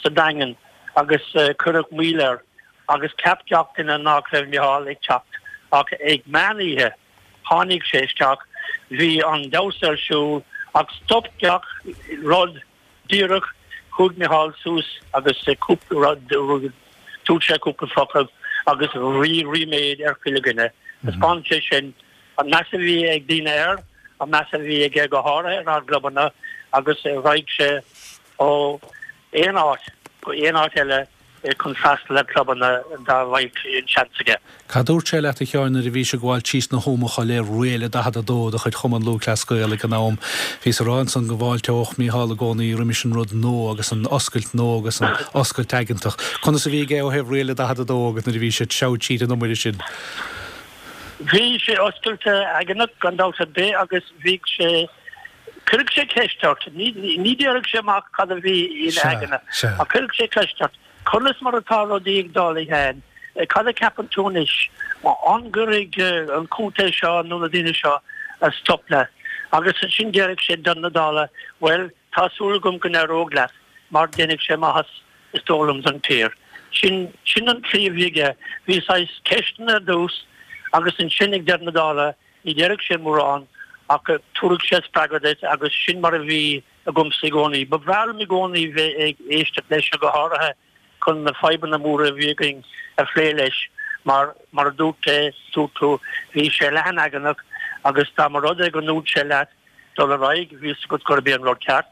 [SPEAKER 4] sa Daingean agus cuireadh moill air agus cheap gach duine nach raibh Micheál ag teacht ach ag meán oíche tháinig sé isteach, bhí an damhsa ar siúl ach stop gach rud Díreach, chuaigh Micheál suas agus cúpla rud, dúirt sé cúpla focal agus bhí ríméad ar chuile dhuine. Thaispeáin sé sin an meas a bhí ag daoine air, an meas a bhí aige go háirithe ar ár gclubanna agus raghaidh sé ó aon áit go aon áit eile chun freastal ar chlubanna dá mbeadh an seans aige.
[SPEAKER 1] Cad dúirt sé leat a Sheáin nuair a bhís ag gabháil síos na hÓmacha le Riail a 42 de chuid Chumann Lúthchleas Gael ag an am? Bhíos a rá ansan go bhfáilteodh Mícheál i gcónaí roimis an rud nua agus an oscailt nua agus an oscailt aigeantach. Conas a bhí aige ó thaobh Riail a 42 agat nuair a bhí sé ag treabhadh tríd an iomaire sin?
[SPEAKER 4] Bhí sé oscailte aigeannach gan dabht ar bith agus bhíodh sé Cuirfeadh sé ceist ort. Ní déarfadh sé amach cad a bhí ina aigne, ach cuirfeadh sé ceist ort, Conas mar atá rudaí ag dul, a Sheáin? Cad a cheapann tú anois? An gcuirfidh an contae seo nó na daoine seo stop leat? Agus ansin déarfadh sé deireadh na dála, Bhuel, tá súil agam go n-éireoidh leat, mar déanfaidh sé maitheas, is dóigh liom, don tír. Sin, sin an tslí a bhí aige. Bhí saghas ceisteanna ar dtús agus ansin ag deireadh na dála, Ní déarfadh sé mórán ach tabharfadh sé spreagadh duit agus sin mar a bhí agamsa i gcónaí. Ba bhreá liom i gcónaí bheith ag éisteacht leis go háirithe chun na fadhbanna móra a bhí againn a phlé leis mar, mar a dúirt é, dúirt tú, bhí sé leathan-aigeannach agus dá mba rud é go ndúirt sé leat dul ar aghaidh, bhí fhios agat gurb é an rud ceart.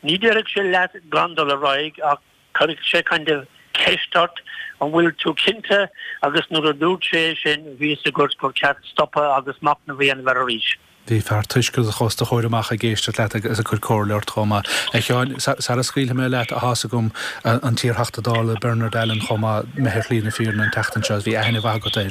[SPEAKER 4] Ní déarfadh sé leat gan dul ar aghaidh ach Cuirfeadh sé kind of ceist ort, an bhfuil tú cinnte agus nuair a dúirt sé é sin bhí fhios agat gur ceart stopadh agus machnamh a dhéanamh air arís.
[SPEAKER 1] Bhí fear tuisceanach os do chomhair amach ag éisteacht leat agus ag cur comhairle ort chomh maith. A Sheáin, sara scaoilfidh mé leat, tá's agam an t-iarTheachta Dála Bernard Allen chomh maith, imithe ar shlí na fírinne an tseachtain seo, bhí aithne mhaith agat air.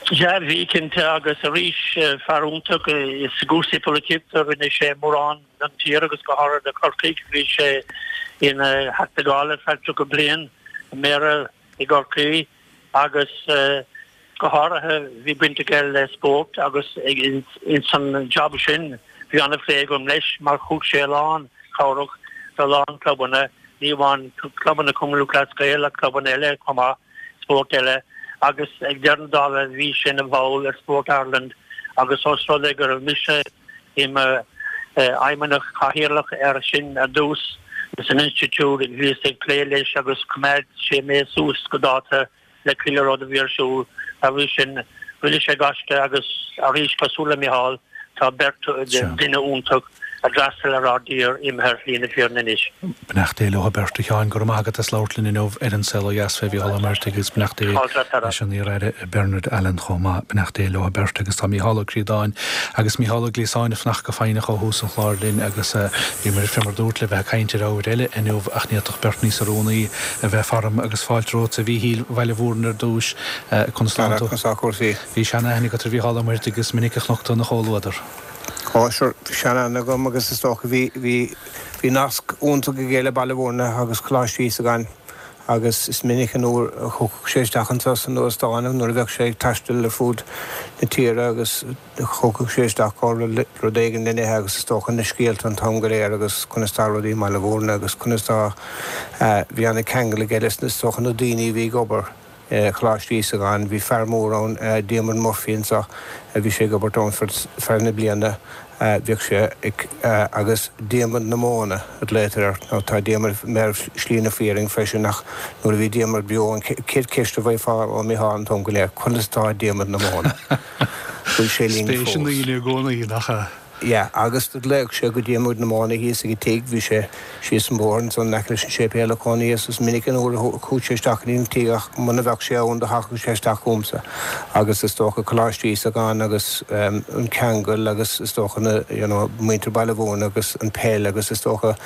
[SPEAKER 4] Sea, bhí cinnte agus arís fear iontach i gcúrsaí polaitíochta, rinne sé mórán. don tír agus go háirithe do Chorcaigh. Bhí sé ina Theachta Dála ar feadh 30 bliain, Méara i gCorcaigh agus go háirithe bhí baint aige le spórt agus ins an job sin bhí an-phlé agam leis mar thug sé a lán cabhrach do a lán clubanna, ní amháin clubanna Chumann Lúthchleas Gael ach clubanna eile chomh maith, spórt eile agus ag deireadh na dála bhí sé ina bhall ar Sport Ireland agus os rud é go raibh mise i mo fheidhmeannach cathaoirleach air sin ar dtús san institiúid bhíos ag plé leis agus choimeád sé mé suas go dáta le chuile rud a bhí ar siúl. Dá bhrí sin, rinne sé gaisce agus arís cosúil le Micheál, tá beirt duine iontach a d'fhreastail ar ár dtír imithe ar shlí na fírinne anois.
[SPEAKER 1] Beannacht Dé leo beirt. A Sheáin, go raibh maith agat as labhairt linn inniu ar An Saol Ó Dheas fé Mhícheál Ó Muircheartaigh agus beannacht Dé leis an iar-aire Bernard Allen chomh maith. Beannacht Dé leo beirt agus tá Mícheál Ó Críodáin agus Mícheál Ó Gliasáin ag fanacht go foighneach ó thús an chláir linn agus bhíomar fé mar dúrt le bheith ag caint ar ábhair eile inniu ach ní fhéadfadh beirt níos oiriúnaí a bheith faram agus fáilte romhat a Mhíchíl Bhaile Mhúirne ar dtús. Conas
[SPEAKER 5] tánn tú? Conas tá cúrsaí?
[SPEAKER 1] Bhí sean-aithne agat ar Mhícheál Ó Muircheartaigh agus is minic a chonac tú ina chomhluadar.
[SPEAKER 5] Ó, sure, bhí sean-aithne agam agus is dócha bhí, bhí, bhí nasc iontach aige le Baile Mhúirne agus Coláiste Íosagáin agus is minic an uair a thiocfadh sé isteach anseo san óstán nuair a bheadh sé ag taisteal ar fud na tíre agus thiocfadh sé isteach go rud éigin le n-ithe agus is dócha na scéalta an t-am go léir agus conas tá rudaí i mBaile Mhúirne agus conas tá, bhí ana-cheangal aige leis na, is dócha na daoine a bhí ag obair. Choláiste Íosagáin. Bhí fear mór ann, Diarmuid Murphy anseo, bhí sé ag obair ann feadh na bliana, bhíodh sé ag, agus Diarmuid na Móna a ghlaotar air, nó tá Diarmuid ar shlí na fírinne freisin ach nuair a bhí Diarmuid beo an chéad cheist a bhfaighfeá ó Mhícheál an t-am go léir, conas tá Diarmuid na Móna? Bhfuil sé linn
[SPEAKER 1] fós? Spéis i ndaoine i gcónaí, nach ea?
[SPEAKER 5] Yeah, agus do ghlaodh sé go dtí muid na móna thíos ag an tigh, bhí sé síos an bóthar ansan in aice leis an séipéal ina chónaí agus is minic an uair a chuaigh sé isteach go dtí an tigh ach muna bheadh sé ann do thagadh sé isteach chugamsa agus is dócha Coláiste Íosagáin agus an ceangal agus is dócha na, you know, muintir Baile Mhúirne agus an peil agus is dócha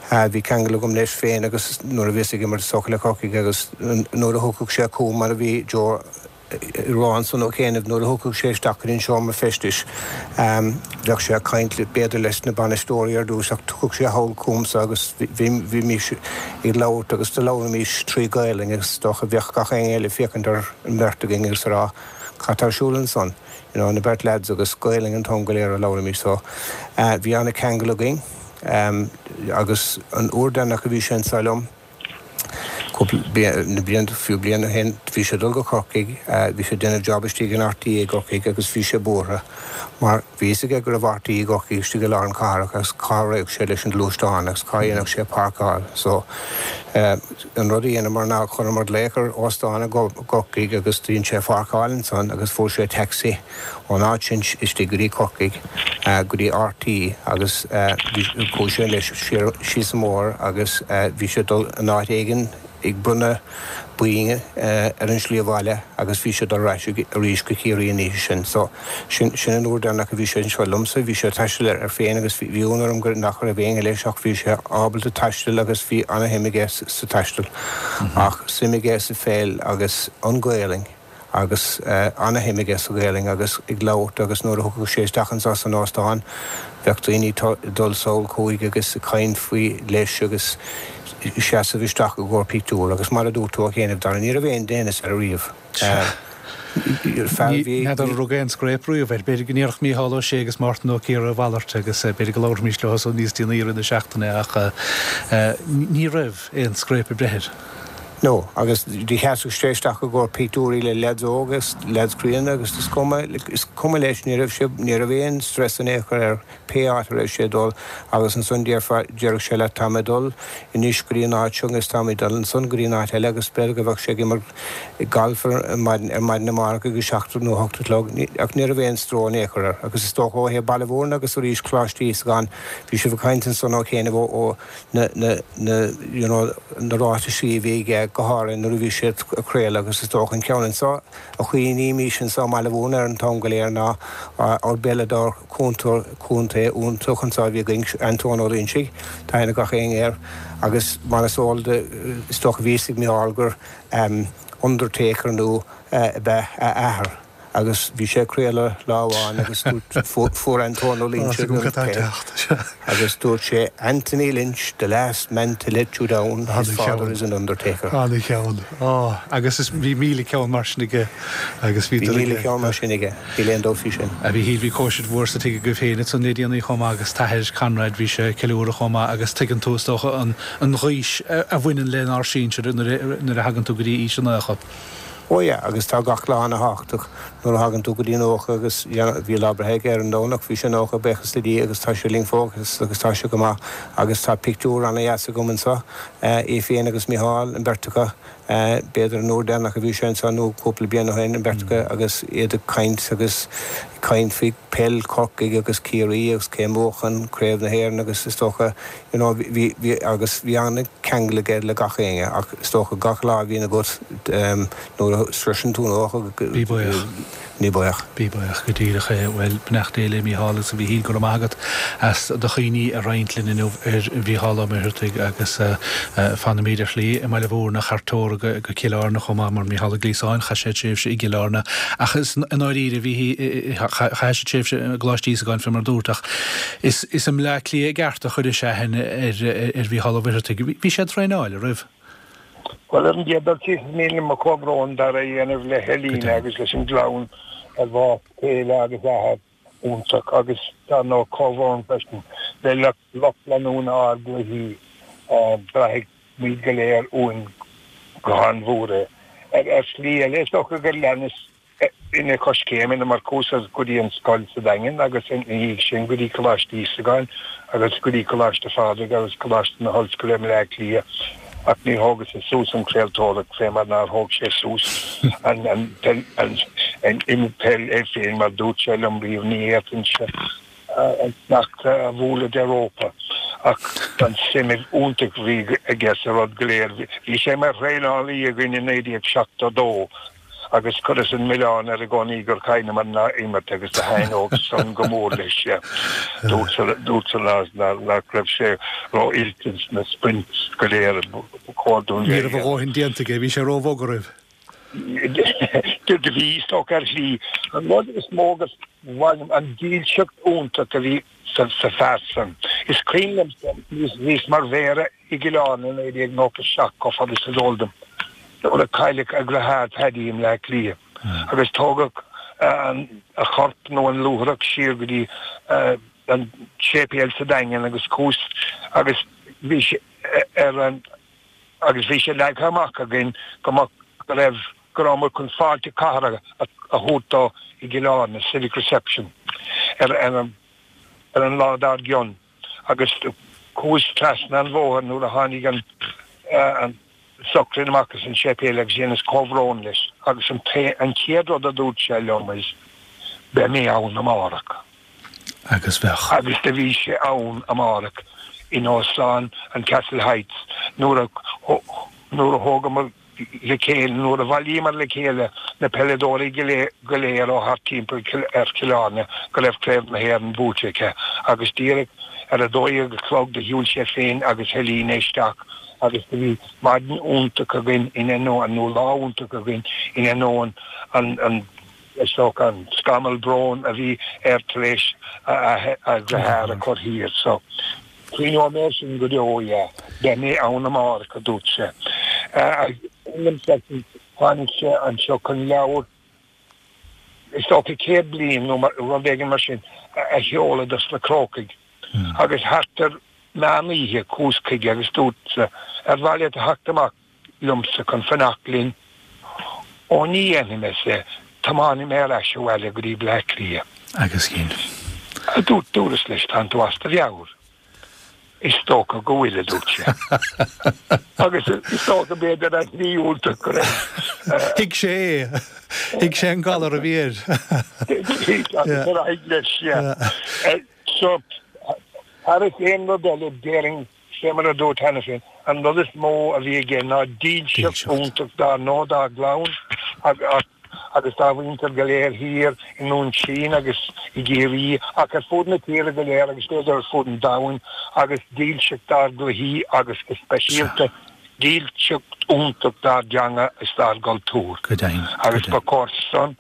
[SPEAKER 5] bhí ceangal agam leis féin agus nuair a bhíos ag imirt is dócha le Corcaigh agus nuair a thiocfadh sé chugam mar a bhí Joe ag rá ansan ó chianaibh nuair a thiocfadh sé isteach go dtí an seomra feistis bheadh sé ag caint b'fhéidir leis na bainisteoirí ar dtús ach thiocfadh sé thall chugamsa agus bhímís ag labhairt agus do labhraímís trí Ghaelainn agus is dócha bheadh gach éinne eile ag féachaint ar an mbeirt againn agus ag rá cad tá ar siúl ansan you know na beirt lads agus Gaelainn an t-am go léir a labhraímís so bhí ana-cheangal againn agus an uair deireanach a bhí sé anso liom Cúpla na blianta, fiú bliain ó shin, bhí sé ag dul go Corcaigh, bhí sé ag déanamh job istigh in RTÉ i gCorcaigh agus bhí sé buartha mar bhí fhios aige go raibh RTÉ i gCorcaigh istigh i lár an cathrach agus cá raghadh sé leis an gluaisteán agus cá dhéanfadh sé páirceáil. So, an rud a dheineamar ná chuireamar glaoch ar óstán i gCorcaigh agus dhein sé pháirceáil ansan agus fuair sé taxi. Ón áit sin istigh go dtí Corcaigh, go dtí RTÉ agus chuaigh sé leis siar síos an bóthar agus bhí sé ag dul in áit éigin ag bronnadh boinn ar an slí abhaile agus bhí sé ag dul ar ais arís go Ciarraí an oíche sin. So, sin, sin an uair deireanach a bhí sé anseo liomsa. Bhí sé ag taisteal air féin agus bhí ionadh orm go nach raibh éinne leis ach bhí sé ábalta taisteal agus bhí ana-shuim aige sa taisteal. Ach suim aige sa pheil agus an Ghaelainn. agus ana-shuim aige sa Ghaelainn agus ag labhairt agus nuair a thiocfadh sé isteach anso san óstán bheadh daoine ag dul sall chuige agus ag caint faoi leis agus seasamh isteach i gcomhair pictiúr agus mar a dúirt tú a chianaibh Dara ní raibh aon déanas air ariamh.
[SPEAKER 1] Fear a bhí. N'fheadar an raibh aon scréip riamh air. B'fhéidir go ndéarfadh Mícheál Ó Sé agus Mártan Ó Ciardha a mhalairt agus b'fhéidir go labharfaimís leo san níos déanaí i rith na seachtaine ach ní raibh aon scréip ag breith air.
[SPEAKER 5] No, agus do sheasadh sé isteach i gcomhair pictiúirí le leaids óga agus leaids críonna agus is cuma, is cuma leis, ní raibh sé, ní raibh aon stress in aon chor air pé áit a raibh sé ag dul agus ansan déarfá, déarfadh sé leat tá mé ag dul anois go dtí an áit seo agus tá mé ag dul ansan go dtí an áit eile agus b'fhéidir go bheadh sé ag imirt galf ar maidin, ar maidin amárach ag a seacht nó a hocht a chlog, ach ní raibh aon stró in aon chor air agus is dócha ó thaobh Baile Mhúirne agus arís Coláiste Íosagáin, bhí sibh ag caint ansan ó chianaibh ó, ó. na, na, na, you know, na ráitisí a bhí aige, go háirithe nuair a bhí sé ag craoladh agus is dócha an ceann anso a chuimhnímís anso i mBaile Mhúirne air an t-am go léir ná ár bpeileadóir contae, contae iontach anso a bhí againn, Antóin Ó Loinsigh, tá aithne ag gach éinne air agus mar is eol do, is dócha bhí fhios ag Micheál gur undertaker nó ab ea a athair. Agus bhí sé ag craoladh lá amháin agus dúirt, fuair Antóin Ó Loinsigh an peil agus dúirt sé, Anthony Lynch, the last man to let you down, his father is an undertaker.
[SPEAKER 1] An-cheann. Á, agus is, bhí 1,000 ceann mar sin aige agus bhí.
[SPEAKER 5] Bhí 1,000 ceann mar sin aige, níl aon dabht faoi sin.
[SPEAKER 1] A Mhíchíl, bhí cóisir mhór sa tigh agaibh féin ansan le déanaí chomh maith agus t'athair, Conrad, bhí sé ag ceiliúradh chomh maith agus tuigeann tú, is dócha, an, an ghaois a bhaineann lenár sinsir nuair a, nuair a thagann tú go dtí aois an 90.
[SPEAKER 5] Ó yeah, agus tá gach lá ana thábhachtach nuair a thagann tú go dtí 90 agus bhí lá breithe aige ar an Domhnach, bhí sé 90, buíochas le Dia agus tá sé linn fós agus tá sé go maith agus tá pictiúr ana dheas agam anseo, é féin agus Micheál, an bheirt acu, b'fhéidir an uair deireanach a bhí sé anseo nó cúpla bliain ó shin, an bheirt acu agus iad ag caint agus ag caint faoi peil Chorcaigh agus Ciarraí agus cé a mbuachan Craobh na hÉireann agus is dócha you know bhí, bhí, agus bhí an-cheangal aige le gach éinne ach is dócha gach lá a bhíonn agat nuair a sroiseann tú 90
[SPEAKER 1] go, Bí buíoch.
[SPEAKER 5] Bí buíoch.
[SPEAKER 1] Bí buíoch, go díreach é. Bhuel, beannacht Dé le Mícheál agus a Mhíchíl, go raibh maith agat as do chuimhní a roinnt linn inniu ar Mhícheál Ó Muircheartaigh agus fanfaimid ar shlí i mBaile Mhúirne thar teora go Cill Airne chomh maith mar Mícheál Ó Gliasáin, chaith sé tréimhse i gCill Airne ach is i ndáiríre bhí, chaith sé tréimhse i gColáiste Íosagáin fé mar a dúrt ach Is i mBleá Cliath i gceart a chuiris aithne ar Mhícheál Ó Muircheartaigh. Bhí sé ag traenáil, an raibh?
[SPEAKER 6] Bhuel, ar an gcéad dul síos, is mian liom mo chomhbhrón, Dara, a dhéanamh le hElina agus leis an gclann ar bhás céile agus athair iontach agus, dar ndóigh, comhbhrón freisin le lucht leanúna ár gcluichí. Braithfidh muid go léir uainn go han-mhór é. Ar shlí eile, is dócha gur leanas ina choiscéimeanna mar chuas go dtí an scoil sa Daingean agus ina dhiaidh sin go dtí Coláiste Íosagáin agus go dtí Coláiste Phádraig agus Coláiste na hOllscoile i mBleá Cliath ach níor thógas-sa suas an chraoltóireacht fé mar nár thóg sé suas an an peil é féin mar dúirt sé liom riamh ní fhéadfainnse. an sneachta a bhualadh de rópa ach an suim iontach a bhí aige sa rud go léir. Bhí sé mar thraenálaí againn i 1972 agus chuireas an milleán air i gcónaí gur chailleamar an imirt agus do thaitneodh san go mór leis. Dúirt san nach raibh sé ró-oilte sna sprints go léir ba
[SPEAKER 1] chóir dúinn Ní raibh a dhóthain déanta aige, bhí sé ró-bhog oraibh.
[SPEAKER 6] Do bhí, is dócha, ar shlí. An rud is mó gur mhaith liom, an dílseacht iontach a bhí sa fear san. Is cuimhin liomsa, bhíos mar mhéara i gCill Airne i 1997, chomh fada is is eol dom, nuair a cailleadh a dheartháir Paddy i mBleá Cliath agus tógadh a chorp nó an luaithreach siar go dtí an séipéal sa Daingean agus chuas agus bhí sé ar an agus bhí sé leagtha amach againn go mbeadh, go raibh, go rabhamar chun fáilte cathartha a thabhairt dó i gCill Airne, civic reception, ar an, ar an lá dár gcionn agus chuas trasna an bhóthair nuair a tháinig an, an sochraid amach as an séipéal agus dheineas comhbhrón leis agus an, an chéad rud a dúirt sé liom is, beidh mé ann amárach.
[SPEAKER 1] Agus bheadh.
[SPEAKER 6] Agus do bhí sé ann amárach in Óstán an Castle Heights nuair a nuair a thógamar le chéile, nuair a bhailíomar le chéile na peileadóirí go léir ó thart timpeall ar Chill Airne go raibh Craobh na hÉireann buaite aici agus díreach ar a 12 a chlog do shiúil sé féin agus Helena isteach agus do bhí maidin iontach againn in ainneoin, nó lá iontach againn in ainneoin an an Is dócha an scamall bróin a bhí air tar éis a dheartháir a chur thiar. So, cuimhneoidh mé air sin go deo, yeah. Beidh mé ann amárach, a dúirt sé. Tháinig sé anseo chun leabhar, is dócha 100 bliain nó rud éigin mar sin, a sheoladh dos na Crócaigh. Agus thart ar meán oíche chuas chuige agus dúirt, ar mhaith leat a theacht amach? liomsa chun fanacht linn. Ó ní dhéanfaidh mé, ar sé, tiomáinfidh mé ar ais abhaile go dtí Bleá Cliath.
[SPEAKER 1] Agus dhein.
[SPEAKER 6] A dúirt, dúras leis, tánn tú as do mheabhair. Is dócha go bhfuil, a dúirt sé. Agus is dócha b'fhéidir ar shlí iontach go raibh.
[SPEAKER 1] Thuig sé é. Thuig sé an galar a bhí air.
[SPEAKER 6] Thuig, agus ar aghaidh leis, yeah. So, thar aon rud eile, déarfainn, Fé mar a dúrt cheana féin, an rud is mó a bhí aige ná dílseacht iontach dár ndóigh dá gclann agus dá mhuintir go léir thiar i nDún Chaoin agus i gCiarraí ach ar fud na tíre go léir agus b'fhéidir ar fud an domhain agus dílseacht dár gcluichí agus go speisialta dílseacht iontach dár dteanga is dár gcultúr.
[SPEAKER 1] Go deimhin.
[SPEAKER 6] Agus ba chóir san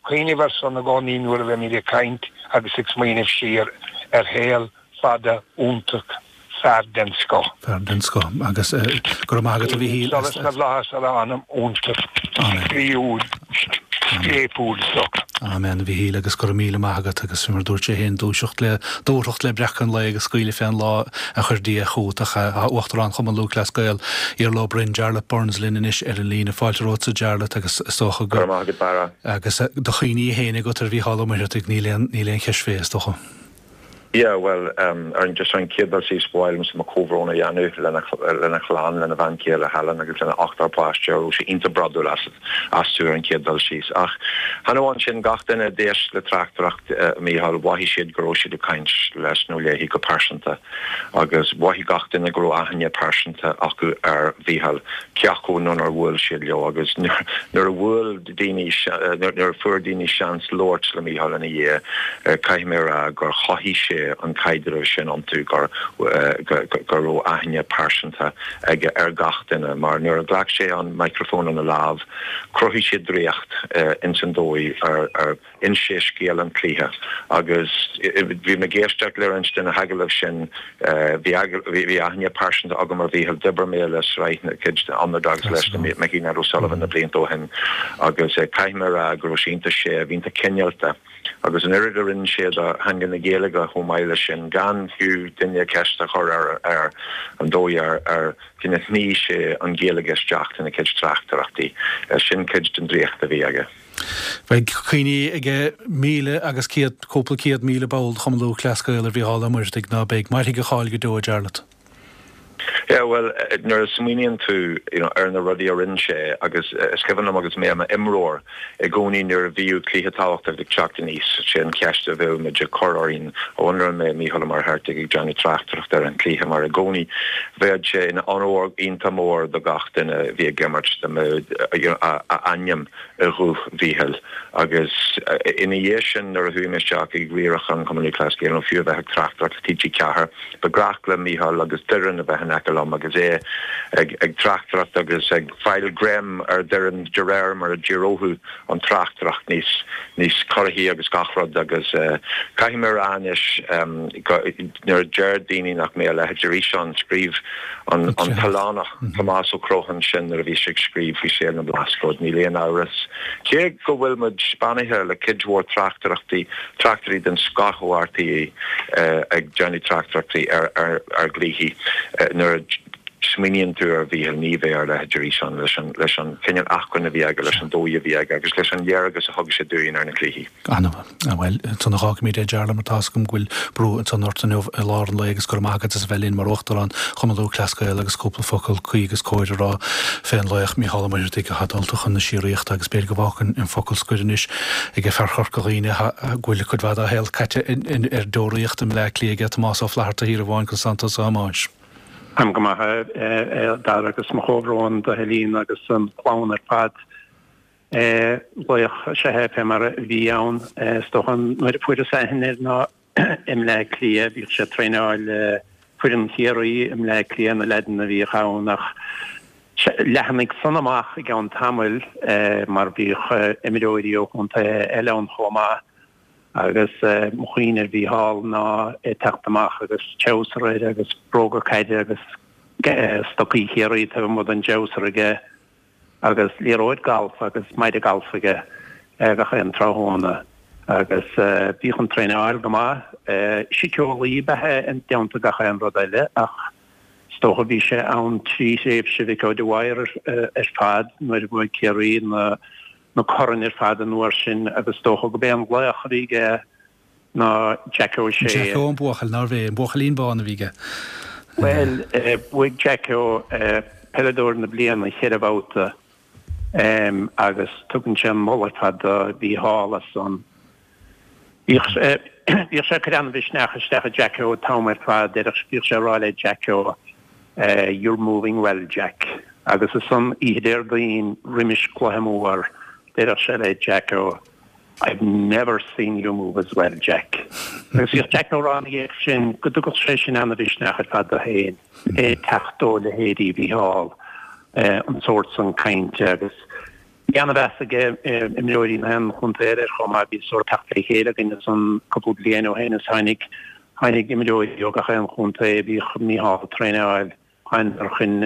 [SPEAKER 6] cuimhneamh ar san i gcónaí nuair a bheimid ag caint agus ag smaoineamh siar ar shaol fada iontach, fear den scoth.
[SPEAKER 1] Fear den scoth. Agus go raibh maith agat a Mhichíl.
[SPEAKER 6] Solas na bhFlaitheas ar a anam iontach spraíúil scléipiúil so.
[SPEAKER 1] Amen a Mhichíl agus go raibh míle maith agat agus mar dúirt sé féin dúiseacht le dúthracht le breacadh an lae agus scaoileadh fén lá a chuir Dia chugat ach tá Uachtarán Chumann Lúthchleas Gael, Iarla Ó Broin, Jarlath Burns linn anois ar an líne. Fáilte romhatsa Jarlath agus is dócha
[SPEAKER 7] go. Go raibh maith agat Barra.
[SPEAKER 1] Agus do chuimhní féin agat ar Mhícheál Ó Muircheartaigh níl aon níl aon cheist fé is dócha.
[SPEAKER 7] Yeah, bhuel, ar an, just ar an chéad dul síos, ba mhaith liomsa mo chomhbhrón a dhéanamh lena, lena chlann, lena bhean chéile Helen agus lena ochtar páiste a raibh sé iontach brodúil as, astu ar an chéad dul síos. Ach chan amháin sin, gach duine a d'éist le tráchtaireacht Mhícheáil, mhothaigh siad go raibh siad ag caint leis nó léi go pearsanta agus mhothaigh gach duine go raibh aithne pearsanta acu ar Mhícheál, cé acu nó nár bhuail siad leo agus nuair a bhuail daoine, nuair a fuair daoine seans labhairt le Mícheál ina dhiaidh, caithfidh mé a rá gur chothaigh sé an caidreamh sin iontu, gur, go raibh aithne pearsanta aige ar gach duine, mar nuair a ghlac sé an microphone ina lámh, chruthaigh sé draíocht ins an dóigh ar, ar inis sé scéal an chluiche. Agus bhí mé ag éisteacht le roinnt de na hagallaimh sin, bhí, bhí aithne pearsanta agam ar Mhícheál, d'oibrigh mé le sraith na cuid de Underdogs leis na Mickey Ned O'Sullivan na blianta ó shin agus caithfidh mé a rá go raibh sé iontach séimh, iontach cineálta agus an oiread a rinne sé do theanga na Gaeilge chomh maith leis sin, gan fiú duine ceist a chur air ar an dóigh ar ar cineál shnoigh sé an Ghaeilge isteach ina chuid tráchtaireachtaí. Sin cuid den draíocht a bhí aige.
[SPEAKER 1] Beidh cuimhní ag míle agus céad, cúpla 100,000 ball de Chumann Lúthchleas Gael ar Mhícheál Ó Muircheartaigh, ná beidh. Mairfidh a cháil go deo, a Jarlath.
[SPEAKER 7] Yeah, bhuel, nuair a smaoiníonn tú, you know, ar na rudaí a rinne sé agus is cuimhin liom agus mé i m'imreoir i gcónaí nuair a bhíodh cluiche tábhachtach ag teacht aníos, sé an cheist a bheadh muid ag cur orainn, I wonder an mbeidh Mícheál Ó Muircheartaigh ag déanamh tráchtaireacht ar an chluiche mar i gcónaí bheadh sé ina onóir iontach mór do gach duine a bhí ag imirt dá mbeadh, you know, a ainm i ghuth Mhíchíl agus ina dhiaidh sin nuair a chuaigh mé isteach ag riarachán Chumann Lúthchleas Gael nó fiú a bheith ag tráchtaireacht le TG4, Ba ghnách le Mícheál agus Doireann a bheith in aice liom agus é ag tráchtaireacht agus ag fáil greim ar Dhoireann de réir mar a d'éireodh an tráchtaireacht níos níos corraithí agus gach rud agus caithfidh mé a rá anois nuair a deir daoine nach mbeidh a leithéid arís ann, scríobh an t-oileánach Tomás Ó Criomhthain sin nuair a bhí sé ag scríobh faoi saol na mBlascaod, níl aon amhras. Cé go bhfuil muid beannaithe le cuid mhór tráchtaireachtaí, tráchtairí den scoth ó RTÉ ag déanamh tráchtaireachtaí ar gcluichí, nuair a smaoiníonn tú ar Mhícheál ní bheidh a leithéid arís ann leis an cineál acmhainn a bhí aige, leis an dóigh a bhí aige agus leis an léargas a thug sé dúinn ar na cluichí.
[SPEAKER 1] An-mhaith. Bhuel, ansan a dh'fhágfaimid é, a Jarlath, mar tá's agam go bhfuil brú ansan ort inniu i lár an lae agus go raibh maith agat as a bheith linn mar Uachtarán Chumann Lúthchleas Gael agus cúpla focal cuí agus cóir a rá fén laoch Mícheál Ó Muircheartaigh atá dulta chun na síoraíochta agus b'fhéidir go bhfágfainn an focal scoir anois ag fear Chorca Dhuibhne go bhfuil cuid mhaith dá shaol caite ar deoraíocht i mBleá Cliath aige, Tomás Ó Flatharta Thiar i bhFáin Constantos a Thomáis.
[SPEAKER 8] Táim go maith, a Dhara, agus mo chomhbhrón do Helene agus an chlann ar fad. Laoch is ea é fé mar a bhí ann. Is dócha nuair a fuaireas aithne air ná i mBleá Cliath. Bhíodh sé ag traenáil foireann Chiarraí i mBleá Cliath, na leaideanna a bhíodh ann ach leathnaigh san amach i gceann tamaill mar bhíodh imreoirí ó chontaetha eile ann chomh maith agus mo chuimhne ar Mhícheál ná é ag teacht amach agus treabhsar air agus bróga caide agus stocaí Chiarraí taobh amuigh den dtreabhsar aige. agus liathróid galf agus maide galf aige gach aon tráthnóna agus bhíodh an traenáil go maith. Síceolaí ab ea é i dteannta gach aon rud eile ach is dócha bhí sé ann trí thréimhse Mhick O'Dwyer ar fad nuair a bhuaigh Ciarraí na na coirn ar fad an uair sin agus is dócha go b'é an laoch a bhí aige ná Jack O'Shea.
[SPEAKER 1] Jacko an buachaill, nárbh é? An buachaillín bán a bhí aige.
[SPEAKER 8] Bhuel, bhuaigh Jacko Peileadóir na Bliana cheithre bhabhta agus tugann sé an moladh ar fad do Mhícheál as san. Bhíodh sé ag cur an-mhisneach isteach i Jacko an t-am ar fad, bhíodh sé ag rá le Jacko 'You're moving well, Jack' agus ansan oíche Déardaoin roimis cluiche mór, deireadh sé le Jacko I've never seen you move as well, Jack. Agus bhíodh Jack á rá ina dhiaidh sin go dtugadh sé sin ana-mhisneach ar fad dó féin, é ag teacht ó leithéidí Mhícheál, an sórt san cainte agus bhí ana-mheas aige imreoirí na haon chontae eile air chomh maith. Bhí sórt teacht le chéile againn ansan cúpla bliain ó shin is tháinig, tháinig imreoirí ó gach aon chontae a bhíodh Mícheál ag traenáil. Thánadar chun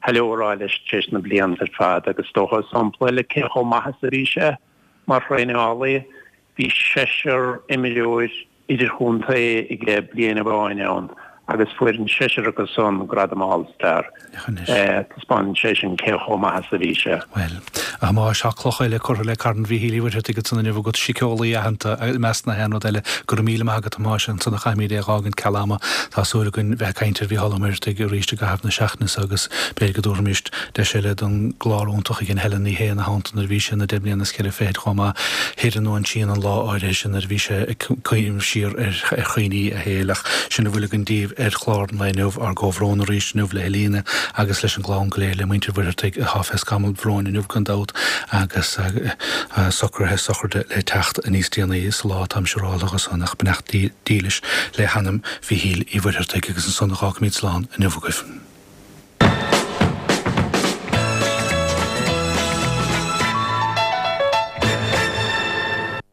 [SPEAKER 8] hello a rá leis tar éis na blianta ar fad agus is dócha sampla eile cé chomh maith is a bhí sé mar thraenálaí, bhí seisear imreoir idirchontae aige bliain amháin ann agus fuair an seisear acu san gradam All Star. Taispeánann sé sin cé chomh maith is a bhí sé.
[SPEAKER 1] Bhuel, a Thomáis, tá cloch eile curtha le carn Mhíchíl Uí Mhuircheartaigh ansan inniu agat, síceolaí aitheanta i measc na haon rud eile. Go raibh míle maith agat, a Thomáis, ansan a chaithfimid é a dh'fhágaint ceal ama. Tá súil againn bheith ag caint ar Mhícheál Ó Muircheartaigh arís i gcaitheamh na seachtaine seo agus b'fhéidir go dtabharfaimis Deis eile don gclár iontach a dhein Helen Ní Shé ina theannta nuair a bhí sé ina deich mbliana is cheithre fichid chomh maith thoir nó ansin an lá áirithe sin nuair a bhí sé ag cuimhneamh siar ar chuimhní a shaoil. Ach sin a bhfuil againn daoibh ar chlár an lae inniu. Ár gcomhbhrón arís inniu le Helena agus leis an gclann go léir, le muintir Mhuircheartaigh atá fé scamall bhróin inniu gan dabht agus socruithe sochraide le teacht níos déanaí sa lá atá siúráilte ansan ach beannacht dílis le hanam Mhíchíl Uí Mhuircheartaigh agus ansan a dh'fhágfaimid slán inniu agaibh.